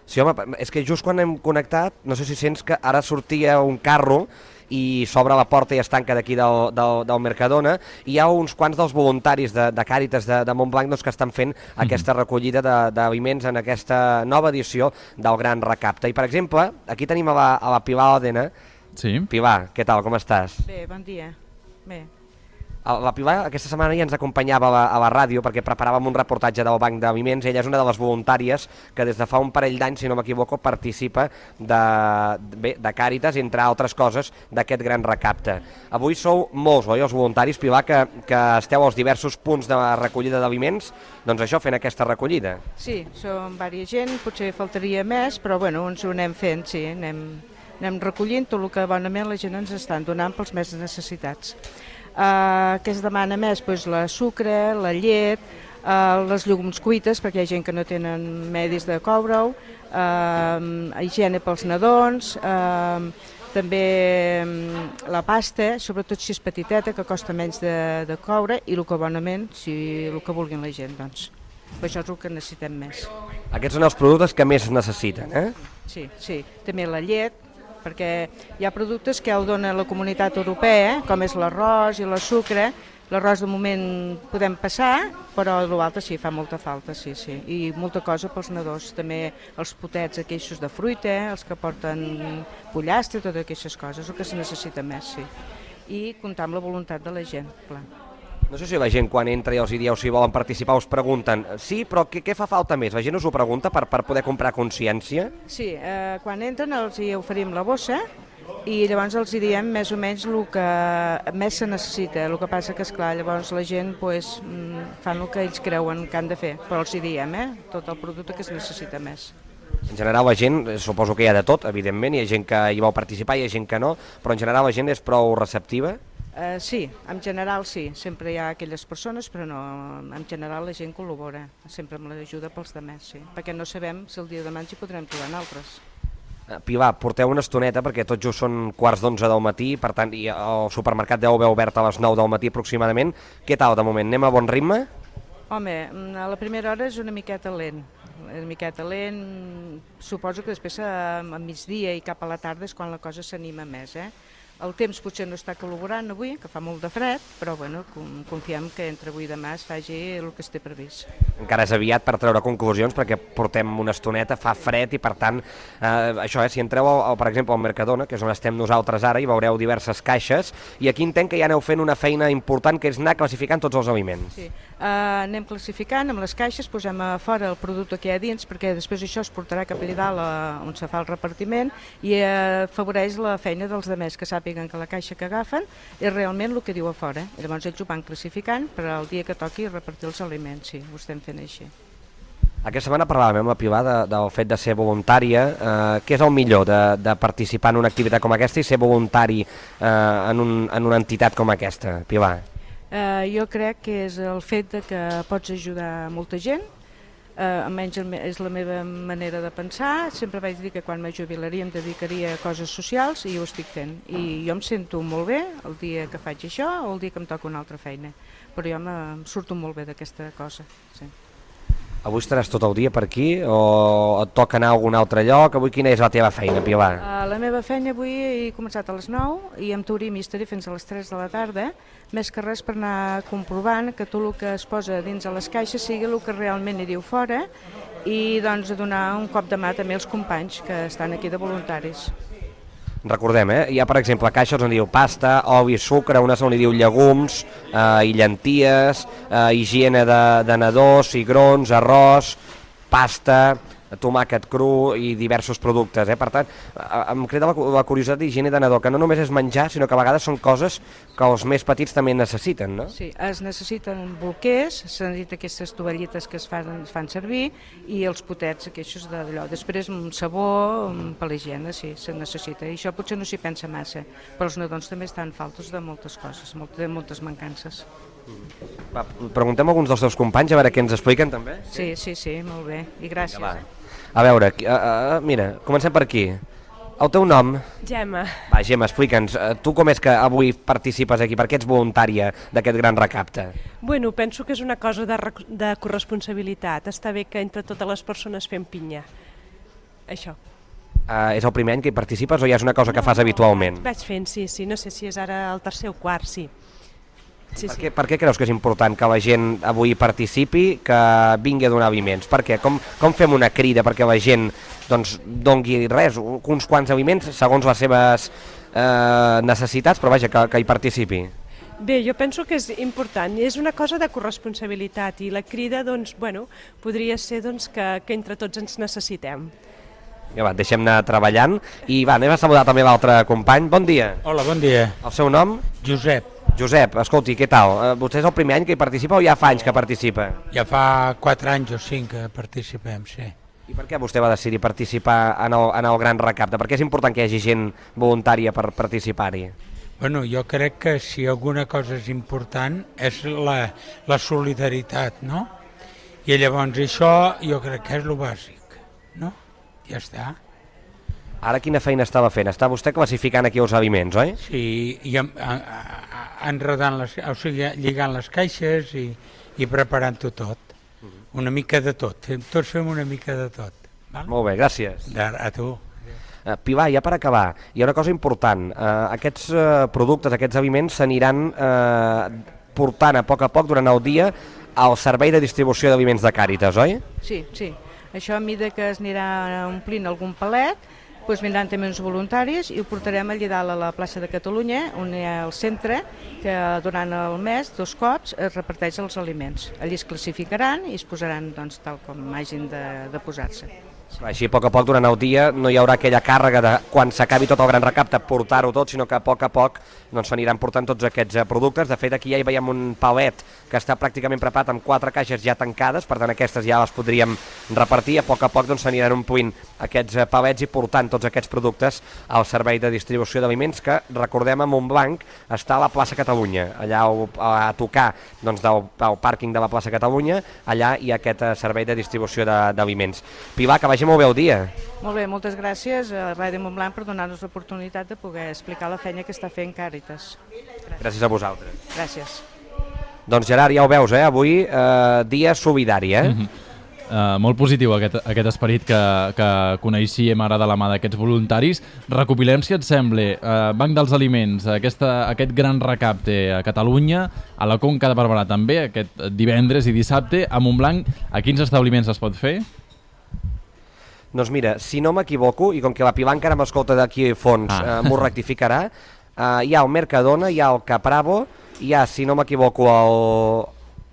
[SPEAKER 4] Sí, home, és que just quan hem connectat, no sé si sents que ara sortia un carro i s'obre la porta i es tanca d'aquí del, del, del Mercadona, i hi ha uns quants dels voluntaris de, de Càritas de, de Montblanc doncs, que estan fent mm-hmm. aquesta recollida d'aliments en aquesta nova edició del Gran Recapte. I, per exemple, aquí tenim a la, a la Pilar Òdena.
[SPEAKER 3] Sí.
[SPEAKER 4] Pilar, què tal, com estàs?
[SPEAKER 13] Bé, bon dia. Bé.
[SPEAKER 4] La Pilar aquesta setmana ja ens acompanyava a la, a la ràdio perquè preparàvem un reportatge del Banc d'Aliments. Ella és una de les voluntàries que des de fa un parell d'anys, si no m'equivoco, participa de, de, de Càritas, entre altres coses, d'aquest gran recapte. Avui sou molts, oi, els voluntaris, Pilar, que, que esteu als diversos punts de recollida d'aliments, doncs això, fent aquesta recollida.
[SPEAKER 13] Sí, som diversa gent, potser faltaria més, però bueno, ens ho anem fent, sí, anem, anem recollint tot el que bonament la gent ens estan donant pels més necessitats. Uh, què es demana més? Pues la sucre, la llet, uh, les llegums cuites, perquè hi ha gent que no tenen medis de coure-ho, uh, higiene pels nadons, uh, també um, la pasta, sobretot si és petiteta, que costa menys de, de coure, i el que bonament, si el que vulguin la gent, doncs. Això és el que necessitem més.
[SPEAKER 4] Aquests són els productes que més necessiten, eh?
[SPEAKER 13] Sí, sí. També la llet, perquè hi ha productes que el dona la Comunitat Europea, com és l'arròs i la sucre. L'arròs de moment podem passar, però l'altre sí, fa molta falta, sí, sí. I molta cosa pels nadons, també els potets aquells de fruita, els que porten pollastre, totes aquestes coses, el que se necessita més, sí. I comptar amb la voluntat de la gent, clar.
[SPEAKER 4] No sé si la gent quan entra i els dieu si volen participar us pregunten sí, però què, què fa falta més? La gent us ho pregunta per, per poder comprar consciència?
[SPEAKER 13] Sí, eh, quan entren els hi oferim la bossa i llavors els hi diem més o menys el que més se necessita. El que passa que, esclar, llavors la gent pues, fan el que ells creuen que han de fer, però els hi diem, eh, tot el producte que es necessita més.
[SPEAKER 4] En general la gent, suposo que hi ha de tot, evidentment, hi ha gent que hi vol participar, hi ha gent que no, però en general la gent és prou receptiva?
[SPEAKER 13] Uh, sí, en general sí, sempre hi ha aquelles persones, però no, en general la gent col·labora, sempre amb l'ajuda pels demés, sí, perquè no sabem si el dia de demà ens hi podrem trobar altres.
[SPEAKER 4] Pilar, porteu una estoneta perquè tot just són quarts d'onze del matí, per tant, i el supermercat deu haver obert a les nou del matí aproximadament. Què tal de moment? Anem a bon ritme?
[SPEAKER 13] Home, a la primera hora és una miqueta lent, una miqueta lent, suposo que després a, a migdia i cap a la tarda és quan la cosa s'anima més, eh? El temps potser no està col·laborant avui, que fa molt de fred, però bueno, confiem que entre avui i demà es faci el que es té previst.
[SPEAKER 4] Encara és aviat per treure conclusions perquè portem una estoneta, fa fred i per tant, eh, això, eh, si entreu al, per exemple al Mercadona, que és on estem nosaltres ara, hi veureu diverses caixes i aquí entenc que ja aneu fent una feina important que és anar classificant tots els aliments.
[SPEAKER 13] Sí, uh, anem classificant amb les caixes, posem a fora el producte que hi ha dins perquè després això es portarà cap allà dalt uh, on se fa el repartiment i uh, afavoreix la feina dels demés que sàpiguen que la caixa que agafen és realment el que diu a fora. I llavors ells ho van classificant per al dia que toqui repartir els aliments, sí, ho estem fent així.
[SPEAKER 4] Aquesta setmana parlàvem amb la Pilar de, del fet de ser voluntària. Eh, què és el millor de, de participar en una activitat com aquesta i ser voluntari eh, en, un, en una entitat com aquesta, Pilar?
[SPEAKER 13] Eh, jo crec que és el fet de que pots ajudar molta gent, Uh, almenys és la meva manera de pensar. Sempre vaig dir que quan me jubilaria em dedicaria a coses socials i ho estic fent. I jo em sento molt bé el dia que faig això o el dia que em toca una altra feina. Però jo em surto molt bé d'aquesta cosa. Sí.
[SPEAKER 4] Avui estaràs tot el dia per aquí o et toca anar a algun altre lloc? Avui quina és la teva feina, Pilar?
[SPEAKER 13] Uh, la meva feina avui he començat a les nou i em Tourim i estaré fins a les tres de la tarda, més que res per anar comprovant que tot el que es posa dins a les caixes sigui el que realment hi diu fora i doncs donar un cop de mà també als companys que estan aquí de voluntaris.
[SPEAKER 4] Recordem, eh? Hi ha per exemple caixes on diu pasta, oli, sucre, unes on hi diu llegums eh, i llenties, eh, higiene de, de nadó, cigrons, arròs, pasta, tomàquet cru i diversos productes, eh? Per tant, em crida la, la curiositat d'higiene de nadó, que no només és menjar, sinó que a vegades són coses que els més petits també necessiten, no?
[SPEAKER 13] Sí, es necessiten bolquers, se necessiten aquestes tovallites que es fan, es fan servir i els potets aquests d'allò. Després un sabó per l'higiene, sí, se necessita. I això potser no s'hi pensa massa, però els nadons també estan faltos de moltes coses, de moltes mancances.
[SPEAKER 4] Va, preguntem a alguns dels teus companys a veure què ens expliquen també.
[SPEAKER 13] Sí, sí, sí, molt bé, i gràcies.
[SPEAKER 4] Va. A veure, uh, uh, mira, comencem per aquí. El teu nom?
[SPEAKER 14] Gemma.
[SPEAKER 4] Va, Gemma, explica'ns, uh, tu com és que avui participes aquí? Per què ets voluntària d'aquest gran recapte?
[SPEAKER 14] Bueno, penso que és una cosa de, de corresponsabilitat. Està bé que entre totes les persones fem pinya. Això.
[SPEAKER 4] Uh, és el primer any que hi participes o ja és una cosa que fas habitualment?
[SPEAKER 14] Vaig fent, sí, sí. No sé si és ara el tercer o quart, sí. Sí,
[SPEAKER 4] per,
[SPEAKER 14] sí.
[SPEAKER 4] què, per què creus que és important que la gent avui participi, que vingui a donar aliments? Per què? Com, com fem una crida perquè la gent doncs, dongui res, uns quants aliments segons les seves eh, necessitats, però vaja, que, que hi participi?
[SPEAKER 14] Bé, jo penso que és important, és una cosa de corresponsabilitat i la crida doncs, bueno, podria ser doncs, que, que entre tots ens necessitem.
[SPEAKER 4] Ja va, deixem anar treballant i va, anem a saludar també l'altre company. Bon dia.
[SPEAKER 15] Hola, bon dia.
[SPEAKER 4] El seu nom?
[SPEAKER 15] Josep.
[SPEAKER 4] Josep, escolti, què tal? Vostè és el primer any que hi participa o ja fa anys que participa?
[SPEAKER 15] Ja fa quatre anys o cinc que participem, sí.
[SPEAKER 4] I per què vostè va decidir participar en el, en el gran recapte? Per què és important que hi hagi gent voluntària per participar-hi?
[SPEAKER 15] Bueno, jo crec que si alguna cosa és important és la, la solidaritat, no? I llavors això jo crec que és el bàsic, no? Ja està.
[SPEAKER 4] Ara quina feina estava fent? Està vostè classificant aquí els aliments, oi?
[SPEAKER 15] Sí, i en, en, enredant les, o sigui, lligant les caixes i, i preparant-ho tot. Una mica de tot, tots fem una mica de tot. Val?
[SPEAKER 4] Molt bé, gràcies.
[SPEAKER 15] De, a tu.
[SPEAKER 4] Uh, Pilar, ja per acabar, hi ha una cosa important. Uh, aquests uh, productes, aquests aliments s'aniran uh, portant a poc a poc durant el dia al servei de distribució d'aliments de Càritas, oi?
[SPEAKER 13] Sí, sí. Això a mesura que es anirà omplint algun palet, doncs vindran també uns voluntaris i ho portarem allà dalt a la plaça de Catalunya, on hi ha el centre, que durant el mes, dos cops, es reparteix els aliments. Allí es classificaran i es posaran doncs, tal com hagin de, de posar-se.
[SPEAKER 4] Així, a poc a poc, durant el dia, no hi haurà aquella càrrega de, quan s'acabi tot el gran recapte, portar-ho tot, sinó que a poc a poc doncs, s'aniran portant tots aquests productes. De fet, aquí ja hi veiem un palet que està pràcticament preparat amb quatre caixes ja tancades, per tant, aquestes ja les podríem repartir. A poc a poc doncs, s'aniran omplint aquests palets i portant tots aquests productes al servei de distribució d'aliments, que, recordem, a Montblanc està a la plaça Catalunya, allà a tocar doncs, del, del pàrquing de la plaça Catalunya, allà hi ha aquest servei de distribució d'aliments. Pilar, que vagi molt bé el dia.
[SPEAKER 13] Molt bé, moltes gràcies a Ràdio Montblanc per donar-nos l'oportunitat de poder explicar la feina que està fent Càritas.
[SPEAKER 4] Gràcies. Gràcies a vosaltres.
[SPEAKER 13] Gràcies.
[SPEAKER 4] Doncs Gerard, ja ho veus, eh? Avui eh, dia solidari, eh?
[SPEAKER 3] Mm-hmm. uh, molt positiu aquest, aquest esperit que, que coneixíem ara de la mà d'aquests voluntaris. Recopilem, si et sembla, uh, Banc dels Aliments, aquesta, aquest gran recapte a Catalunya, a la Conca de Barberà també, aquest divendres i dissabte, a Montblanc. A quins establiments es pot fer?
[SPEAKER 4] Doncs mira, si no m'equivoco, i com que la Pilar encara m'escolta d'aquí a fons, ah. eh, m'ho rectificarà, eh, hi ha el Mercadona, hi ha el Capravo, hi ha, si no m'equivoco, el,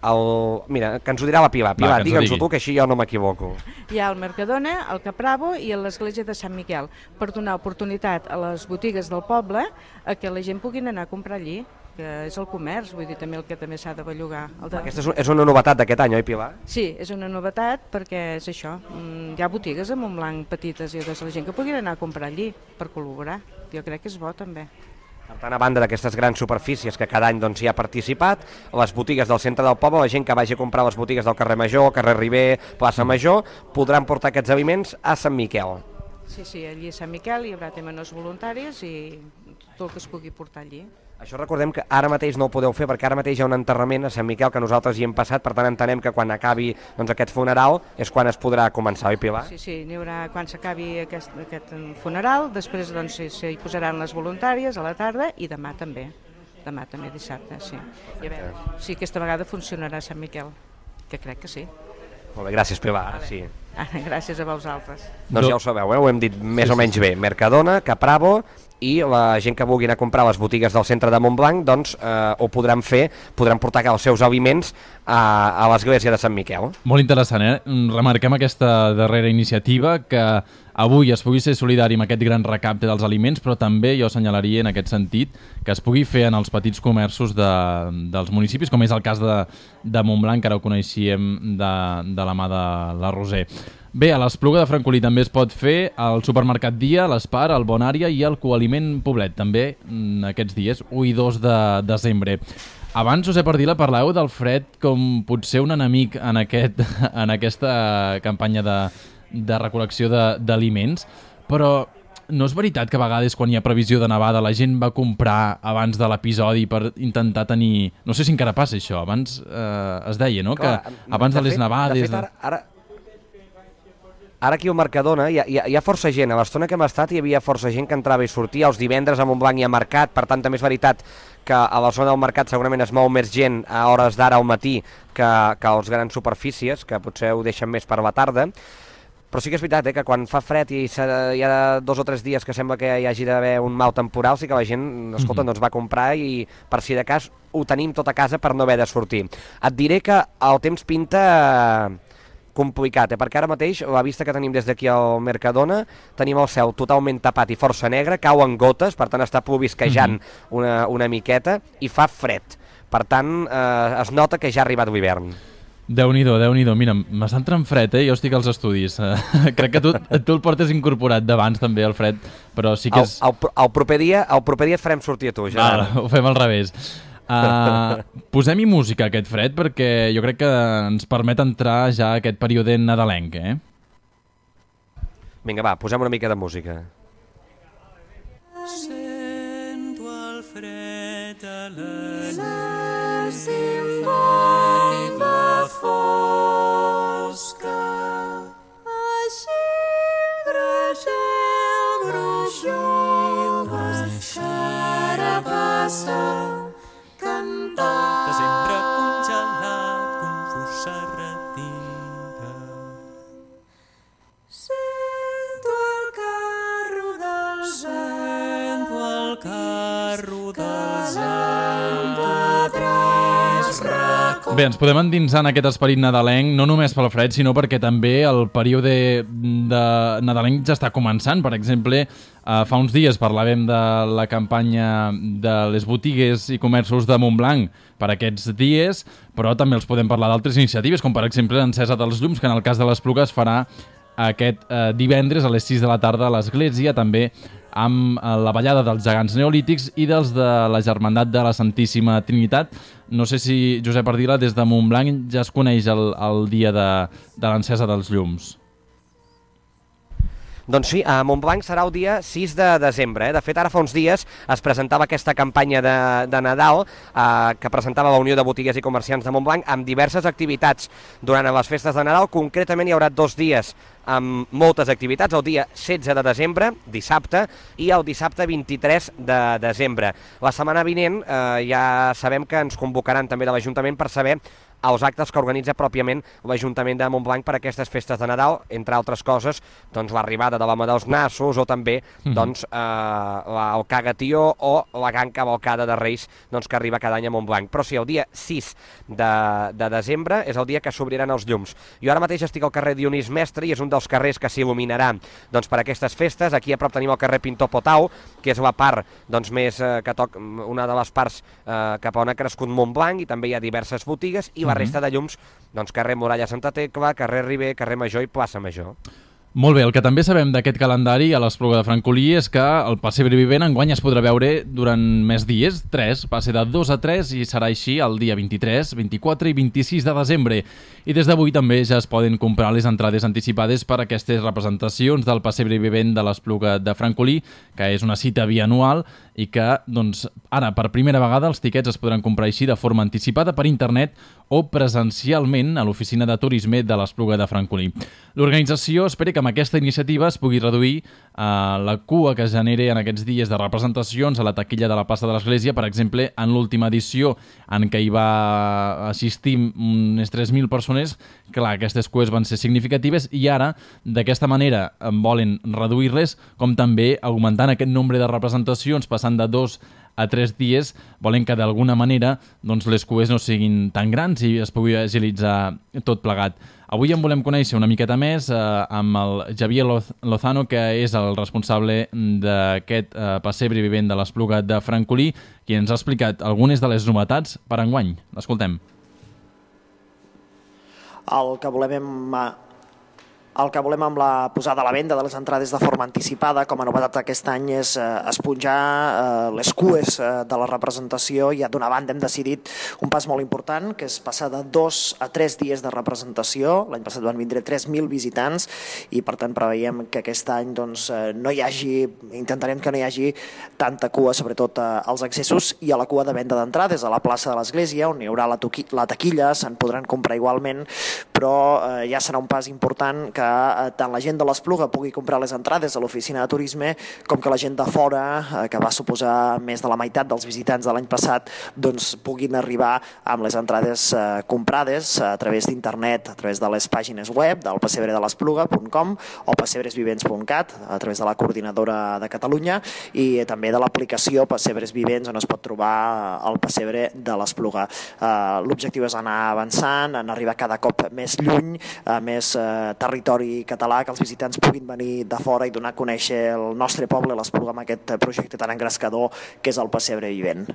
[SPEAKER 4] el... Mira, que ens ho dirà la Pilar. Pilar, digue'ns-ho tu, que així jo no m'equivoco.
[SPEAKER 13] Hi ha el Mercadona, el Capravo i l'església de Sant Miquel, per donar oportunitat a les botigues del poble a que la gent puguin anar a comprar allí, que és el comerç, vull dir, també el que també s'ha de bellugar. El de...
[SPEAKER 4] Aquesta és, un, és una novetat d'aquest any, oi, Pilar?
[SPEAKER 13] Sí, és una novetat perquè és això, hi ha botigues a Montblanc petites i de la gent que puguin anar a comprar allí per col·laborar. Jo crec que és bo també.
[SPEAKER 4] Per tant, a banda d'aquestes grans superfícies que cada any doncs, hi ha participat, les botigues del centre del poble, la gent que vagi a comprar les botigues del carrer Major, carrer Riber, plaça Major, podran portar aquests aliments a Sant Miquel.
[SPEAKER 13] Sí, sí, allí a Sant Miquel hi haurà també els voluntaris i tot el que es pugui portar allí.
[SPEAKER 4] Això recordem que ara mateix no ho podeu fer perquè ara mateix hi ha un enterrament a Sant Miquel que nosaltres hi hem passat, per tant entenem que quan acabi doncs, aquest funeral és quan es podrà començar, oi Pilar?
[SPEAKER 13] Sí, sí, n'hi haurà quan s'acabi aquest, aquest funeral, després doncs, s'hi posaran les voluntàries a la tarda i demà també, demà també dissabte, sí. I a veure, sí, aquesta vegada funcionarà Sant Miquel, que crec que sí.
[SPEAKER 4] Molt bé, gràcies Pilar, ara sí.
[SPEAKER 13] Gràcies a vosaltres.
[SPEAKER 4] Doncs ja ho sabeu, eh? Ho hem dit més sí, o menys sí. bé, Mercadona, Capravo, i la gent que vulguin a comprar les botigues del centre de Montblanc doncs eh, ho podran fer, podran portar els seus aliments a, a l'església de Sant Miquel.
[SPEAKER 3] Molt interessant, eh? Remarquem aquesta darrera iniciativa, que avui es pugui ser solidari amb aquest gran recapte dels aliments, però també jo assenyalaria en aquest sentit que es pugui fer en els petits comerços de, dels municipis, com és el cas de, de Montblanc, que ara ho coneixíem de, de la mà de la Roser. Bé, a l'Espluga de Francolí també es pot fer al supermercat Dia, l'Espar, el Bonària i el Coaliment Poblet, també aquests dies, u i dos de desembre. Abans, Josep Ardila, parlàveu del fred com potser un enemic en, aquest, en aquesta campanya de, de recol·lecció d'aliments, però no és veritat que a vegades quan hi ha previsió de nevada la gent va comprar abans de l'episodi per intentar tenir... No sé si encara passa això, abans eh, es deia, no? Clar, que abans de, de les fet, nevades...
[SPEAKER 4] De fet, ara... ara... Ara aquí al Mercadona hi ha, hi, ha, hi ha força gent, a l'estona que hem estat hi havia força gent que entrava i sortia, els divendres a Montblanc hi ha mercat, per tant també és veritat que a la zona del mercat segurament es mou més gent a hores d'ara al matí que, que a les grans superfícies, que potser ho deixen més per la tarda, però sí que és veritat eh, que quan fa fred i hi ha dos o tres dies que sembla que hi hagi d'haver un mal temporal, sí que la gent, escolta, mm-hmm. doncs va comprar i per si de cas ho tenim tot a casa per no haver de sortir. Et diré que el temps pinta... complicat, eh? Perquè ara mateix la vista que tenim des d'aquí al Mercadona tenim el cel totalment tapat i força negre, cauen gotes, per tant està plovisquejant mm-hmm. una, una miqueta i fa fred, per tant eh, es nota que ja ha arribat l'hivern.
[SPEAKER 3] Déu-n'hi-do, Déu-n'hi-do, mira, m'està entrant fred, eh? Jo estic als estudis, crec que tu, tu el portes incorporat d'abans també el fred, però sí que és...
[SPEAKER 4] El, el, el, proper dia, el proper dia et farem sortir a tu, ja.
[SPEAKER 3] Vale, ho fem al revés. Uh, posem-hi música aquest fred perquè jo crec que ens permet entrar ja a aquest període nadalenc, eh?
[SPEAKER 4] Vinga, va, posem una mica de música.
[SPEAKER 16] Sento el fred a la neu simbola fosca, així gragel, grugil, xarabassa, desembre congelat, confusa retira. Sento el carro dels sento el carro dels arbres
[SPEAKER 3] Bé, ens podem endinsar en aquest esperit nadalenc, no només pel fred, sinó perquè també el període de nadalenc ja està començant. Per exemple, eh, fa uns dies parlàvem de la campanya de les botigues i comerços de Montblanc per aquests dies, però també els podem parlar d'altres iniciatives, com per exemple l'encesa dels llums, que en el cas de l'Espluga es farà aquest eh, divendres a les sis de la tarda a l'església, també amb la ballada dels gegants neolítics i dels de la Germandat de la Santíssima Trinitat. No sé si, Josep Ardila, des de Montblanc ja es coneix el, el dia de, de l'encesa dels llums.
[SPEAKER 4] Doncs sí, a Montblanc serà el dia sis de desembre. Eh? De fet, ara fa uns dies es presentava aquesta campanya de, de Nadal eh, que presentava la Unió de Botiguers i Comerciants de Montblanc amb diverses activitats durant les festes de Nadal. Concretament hi haurà dos dies amb moltes activitats, el dia setze de desembre, dissabte, i el dissabte vint-i-tres de desembre. La setmana vinent eh, ja sabem que ens convocaran també de l'Ajuntament per saber els actes que organitza pròpiament l'Ajuntament de Montblanc per a aquestes festes de Nadal, entre altres coses, doncs l'arribada de l'Home dels Nassos o també doncs, eh, la, el Cagatió o la gran cavalcada de Reis doncs, que arriba cada any a Montblanc. Però sí, el dia sis de, de desembre és el dia que s'obriran els llums. Jo ara mateix estic al carrer Dionís Mestre i és un dels carrers que s'il·luminarà doncs, per aquestes festes. Aquí a prop tenim el carrer Pintor Potau, que és la part doncs, més eh, que toc, una de les parts eh, cap on ha crescut Montblanc, i també hi ha diverses botigues, i la resta de llums, doncs carrer Muralla Santa Tecla, carrer Riber, carrer Major i plaça Major.
[SPEAKER 3] Molt bé, el que també sabem d'aquest calendari a l'Espluga de Francolí és que el pessebre vivent enguany es podrà veure durant més dies, tres, va ser de dos a tres i serà així el dia vint-i-tres, vint-i-quatre i vint-i-sis de desembre. I des d'avui també ja es poden comprar les entrades anticipades per a aquestes representacions del pessebre vivent de l'Espluga de Francolí, que és una cita bianual i que, doncs, ara, per primera vegada els tiquets es podran comprar així de forma anticipada per internet o presencialment a l'oficina de turisme de l'Espluga de Francolí. L'organització espera que amb aquesta iniciativa es pugui reduir eh, la cua que es genera en aquests dies de representacions a la taquilla de la plaça de l'Església. Per exemple, en l'última edició en què hi va assistir unes tres mil persones, clar, aquestes cues van ser significatives i ara, d'aquesta manera, volen reduir-les, com també augmentant aquest nombre de representacions, passant de dos a tres dies, volen que d'alguna manera doncs, les cues no siguin tan grans i es pugui agilitzar tot plegat. Avui en volem conèixer una miqueta més eh, amb el Javier Lozano, que és el responsable d'aquest eh, pessebre vivent de l'Espluga de Francolí, qui ens ha explicat algunes de les novetats per enguany. L'escoltem.
[SPEAKER 17] El que volem El que volem amb la posada a la venda de les entrades de forma anticipada, com a novetat aquest any, és eh, esponjar eh, les cues eh, de la representació. I d'una banda hem decidit un pas molt important, que és passar de dos a tres dies de representació. L'any passat van vindre tres mil visitants i per tant preveiem que aquest any doncs, eh, no hi hagi, intentarem que no hi hagi tanta cua, sobretot eh, als accessos i a la cua de venda d'entrades a la plaça de l'Església, on hi haurà la, la taquilla, se'n podran comprar igualment, però eh, ja serà un pas important que tant la gent de l'Espluga pugui comprar les entrades a l'oficina de turisme com que la gent de fora, que va suposar més de la meitat dels visitants de l'any passat, doncs puguin arribar amb les entrades comprades a través d'internet, a través de les pàgines web del pessebre de l'Espluga punt com o pessebres vivents punt cat, a través de la coordinadora de Catalunya, i també de l'aplicació Pessebres Vivents, on es pot trobar el pessebre de l'Espluga. L'objectiu és anar avançant, en arribar cada cop més lluny, a més territori català, que els visitants puguin venir de fora i donar a conèixer el nostre poble, l'Espluga, amb aquest projecte tan engrescador que és el pessebre vivent.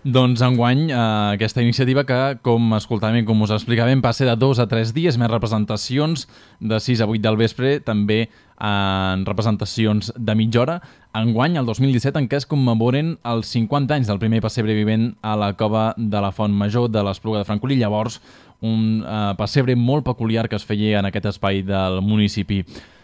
[SPEAKER 3] Doncs enguany eh, aquesta iniciativa que, com escoltàvem i com us explicàvem, passa de dos a tres dies, més representacions de sis a vuit del vespre, també en representacions de mitja hora. Enguany, el dos mil disset, en què es commemoren els cinquanta anys del primer pessebre vivent a la cova de la Font Major de l'Espluga de Francolí. Llavors, un eh, pessebre molt peculiar que es feia en aquest espai del municipi.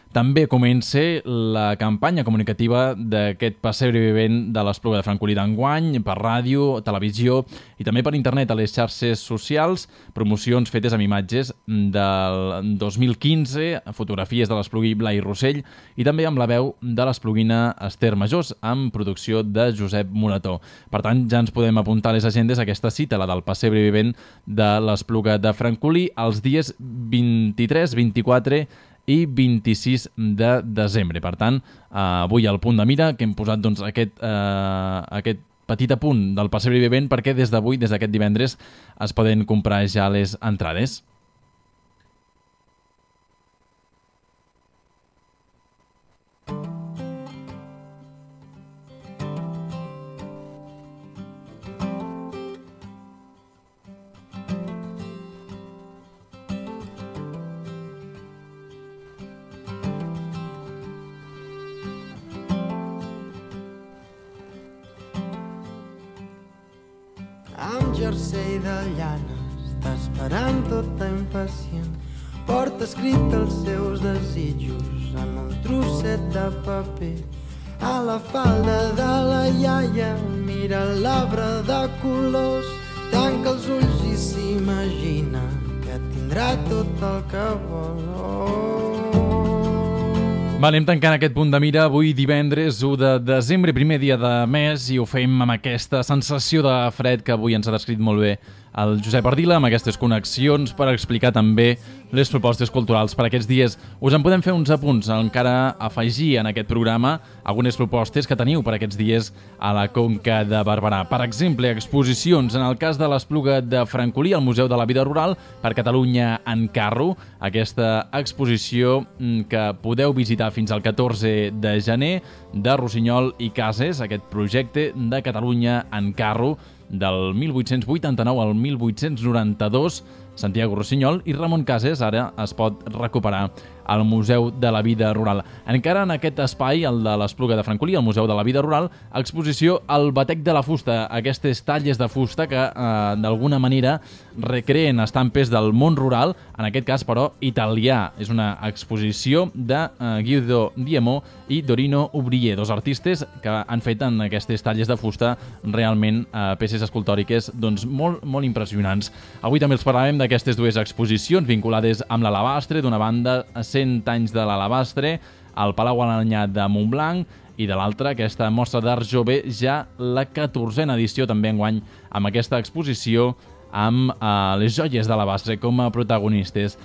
[SPEAKER 3] També comença la campanya comunicativa d'aquest pessebre vivent de l'Espluga de Francolí d'enguany, per ràdio, televisió i també per internet a les xarxes socials, promocions fetes amb imatges del dos mil quinze, fotografies de l'Esplugui Blai Rossell i també amb la veu de l'espluguina Esther Majós, amb producció de Josep Morató. Per tant, ja ens podem apuntar a les agendes aquesta cita, la del pessebre vivent de l'Espluga de Francolí, els dies vint-i-tres, vint-i-quatre i vint-i-sis de desembre. Per tant, eh, avui al punt de mira que hem posat doncs, aquest, eh, aquest petit apunt del pessebre vivent perquè des d'avui, des d'aquest divendres, es poden comprar ja les entrades.
[SPEAKER 18] Amb jersei de llana està esperant tota impacient. Porta escrit els seus desitjos en un trosset de paper. A la falda de la iaia mira l'arbre de colors. Tanca els ulls i s'imagina que tindrà tot el que vol. Oh.
[SPEAKER 3] Va, anem tancant aquest punt de mira. Avui divendres u de desembre, primer dia de mes, i ho fem amb aquesta sensació de fred que avui ens ha descrit molt bé el Josep Ardila, amb aquestes connexions per explicar també les propostes culturals per aquests dies. Us en podem fer uns apunts, encara afegir en aquest programa algunes propostes que teniu per aquests dies a la Conca de Barberà. Per exemple, exposicions, en el cas de l'Espluga de Francolí, al Museu de la Vida Rural, per Catalunya en carro, aquesta exposició que podeu visitar fins al catorze de gener, de Rossinyol i Cases, aquest projecte de Catalunya en carro, del mil vuit-cents vuitanta-nou al mil vuit-cents noranta-dos, Santiago Rossinyol i Ramon Cases ara es pot recuperar al Museu de la Vida Rural. Encara en aquest espai, el de l'Espluga de Francolí, al Museu de la Vida Rural, exposició El batec de la fusta, aquestes talles de fusta que eh, d'alguna manera recreen estampes del món rural, en aquest cas però italià. És una exposició de eh, Guido Diemò i Dorino Ubrier, dos artistes que han fet en aquestes talles de fusta realment eh, peces escultòriques doncs, molt, molt impressionants. Avui també els parlarem d'aquestes dues exposicions vinculades amb l'alabastre, d'una banda cent anys de l'alabastre, al Palau Alanyà de Montblanc, i de l'altra, aquesta mostra d'art jove, ja la catorzena edició també enguany, amb aquesta exposició amb eh, les joies d'alabastre com a protagonistes.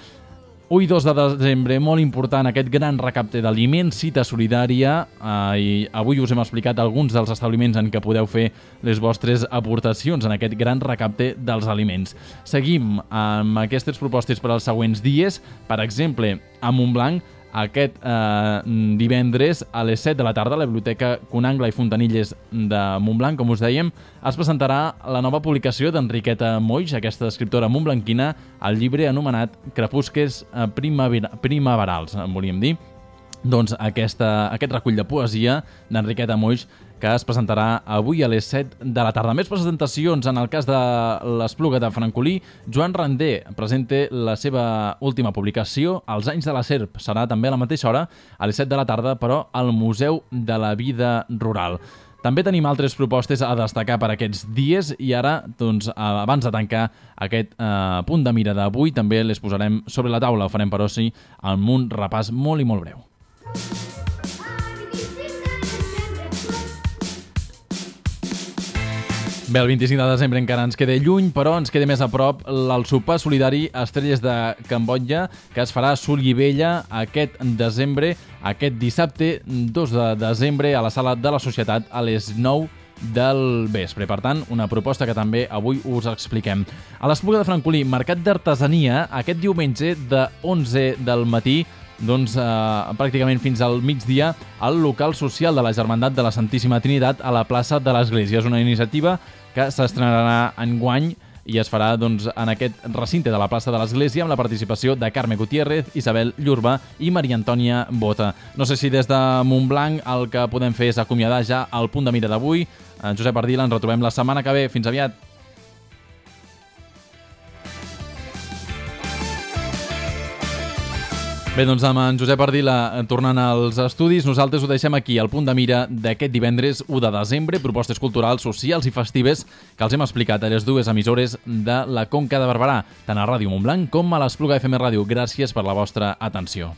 [SPEAKER 3] u i dos de desembre, molt important, aquest gran recapte d'aliments, cita solidària, eh, i avui us hem explicat alguns dels establiments en què podeu fer les vostres aportacions en aquest gran recapte dels aliments. Seguim amb aquestes propostes per als següents dies. Per exemple, a Montblanc, aquest eh, divendres a les set de la tarda a la Biblioteca Conangla i Fontanilles de Montblanc, com us dèiem, es presentarà la nova publicació d'Enriqueta Moix, aquesta escriptora montblanquina, el llibre anomenat Crepusques primavera, primaverals, en volíem dir. Doncs aquesta, aquest recull de poesia d'Enriqueta Moix que es presentarà avui a les set de la tarda. Més presentacions en el cas de l'Espluga de Francolí. Joan Randé presenta la seva última publicació, Els anys de la serp. Serà també a la mateixa hora, a les set de la tarda, però al Museu de la Vida Rural. També tenim altres propostes a destacar per aquests dies i ara, doncs, abans de tancar aquest eh, punt de mira d'avui, també les posarem sobre la taula. Ho farem, però sí, amb un repàs molt i molt breu. Bé, el vint-i-cinc de desembre encara ens queda lluny, però ens queda més a prop el sopar solidari Estrelles de Cambodja, que es farà a Solivella aquest desembre, aquest dissabte dos de desembre, a la Sala de la Societat a les nou del vespre. Per tant, una proposta que també avui us expliquem. A l'Espluga de Francolí, mercat d'artesania, aquest diumenge de onze del matí, doncs eh, pràcticament fins al migdia, al local social de la Germandat de la Santíssima Trinitat a la plaça de l'Església. És una iniciativa que s'estrenarà enguany i es farà doncs, en aquest recinte de la plaça de l'Església amb la participació de Carme Gutiérrez, Isabel Llurba i Maria Antònia Bota. No sé si des de Montblanc el que podem fer és acomiadar ja el punt de mira d'avui. En Josep Ardila, ens retrobem la setmana que ve. Fins aviat. Bé, doncs amb en Josep Ardila tornant als estudis, nosaltres ho deixem aquí, al punt de mira d'aquest divendres u de desembre, propostes culturals, socials i festives que els hem explicat a les dues emissores de la Conca de Barberà, tant a Ràdio Montblanc com a l'Espluga F M Ràdio. Gràcies per la vostra atenció.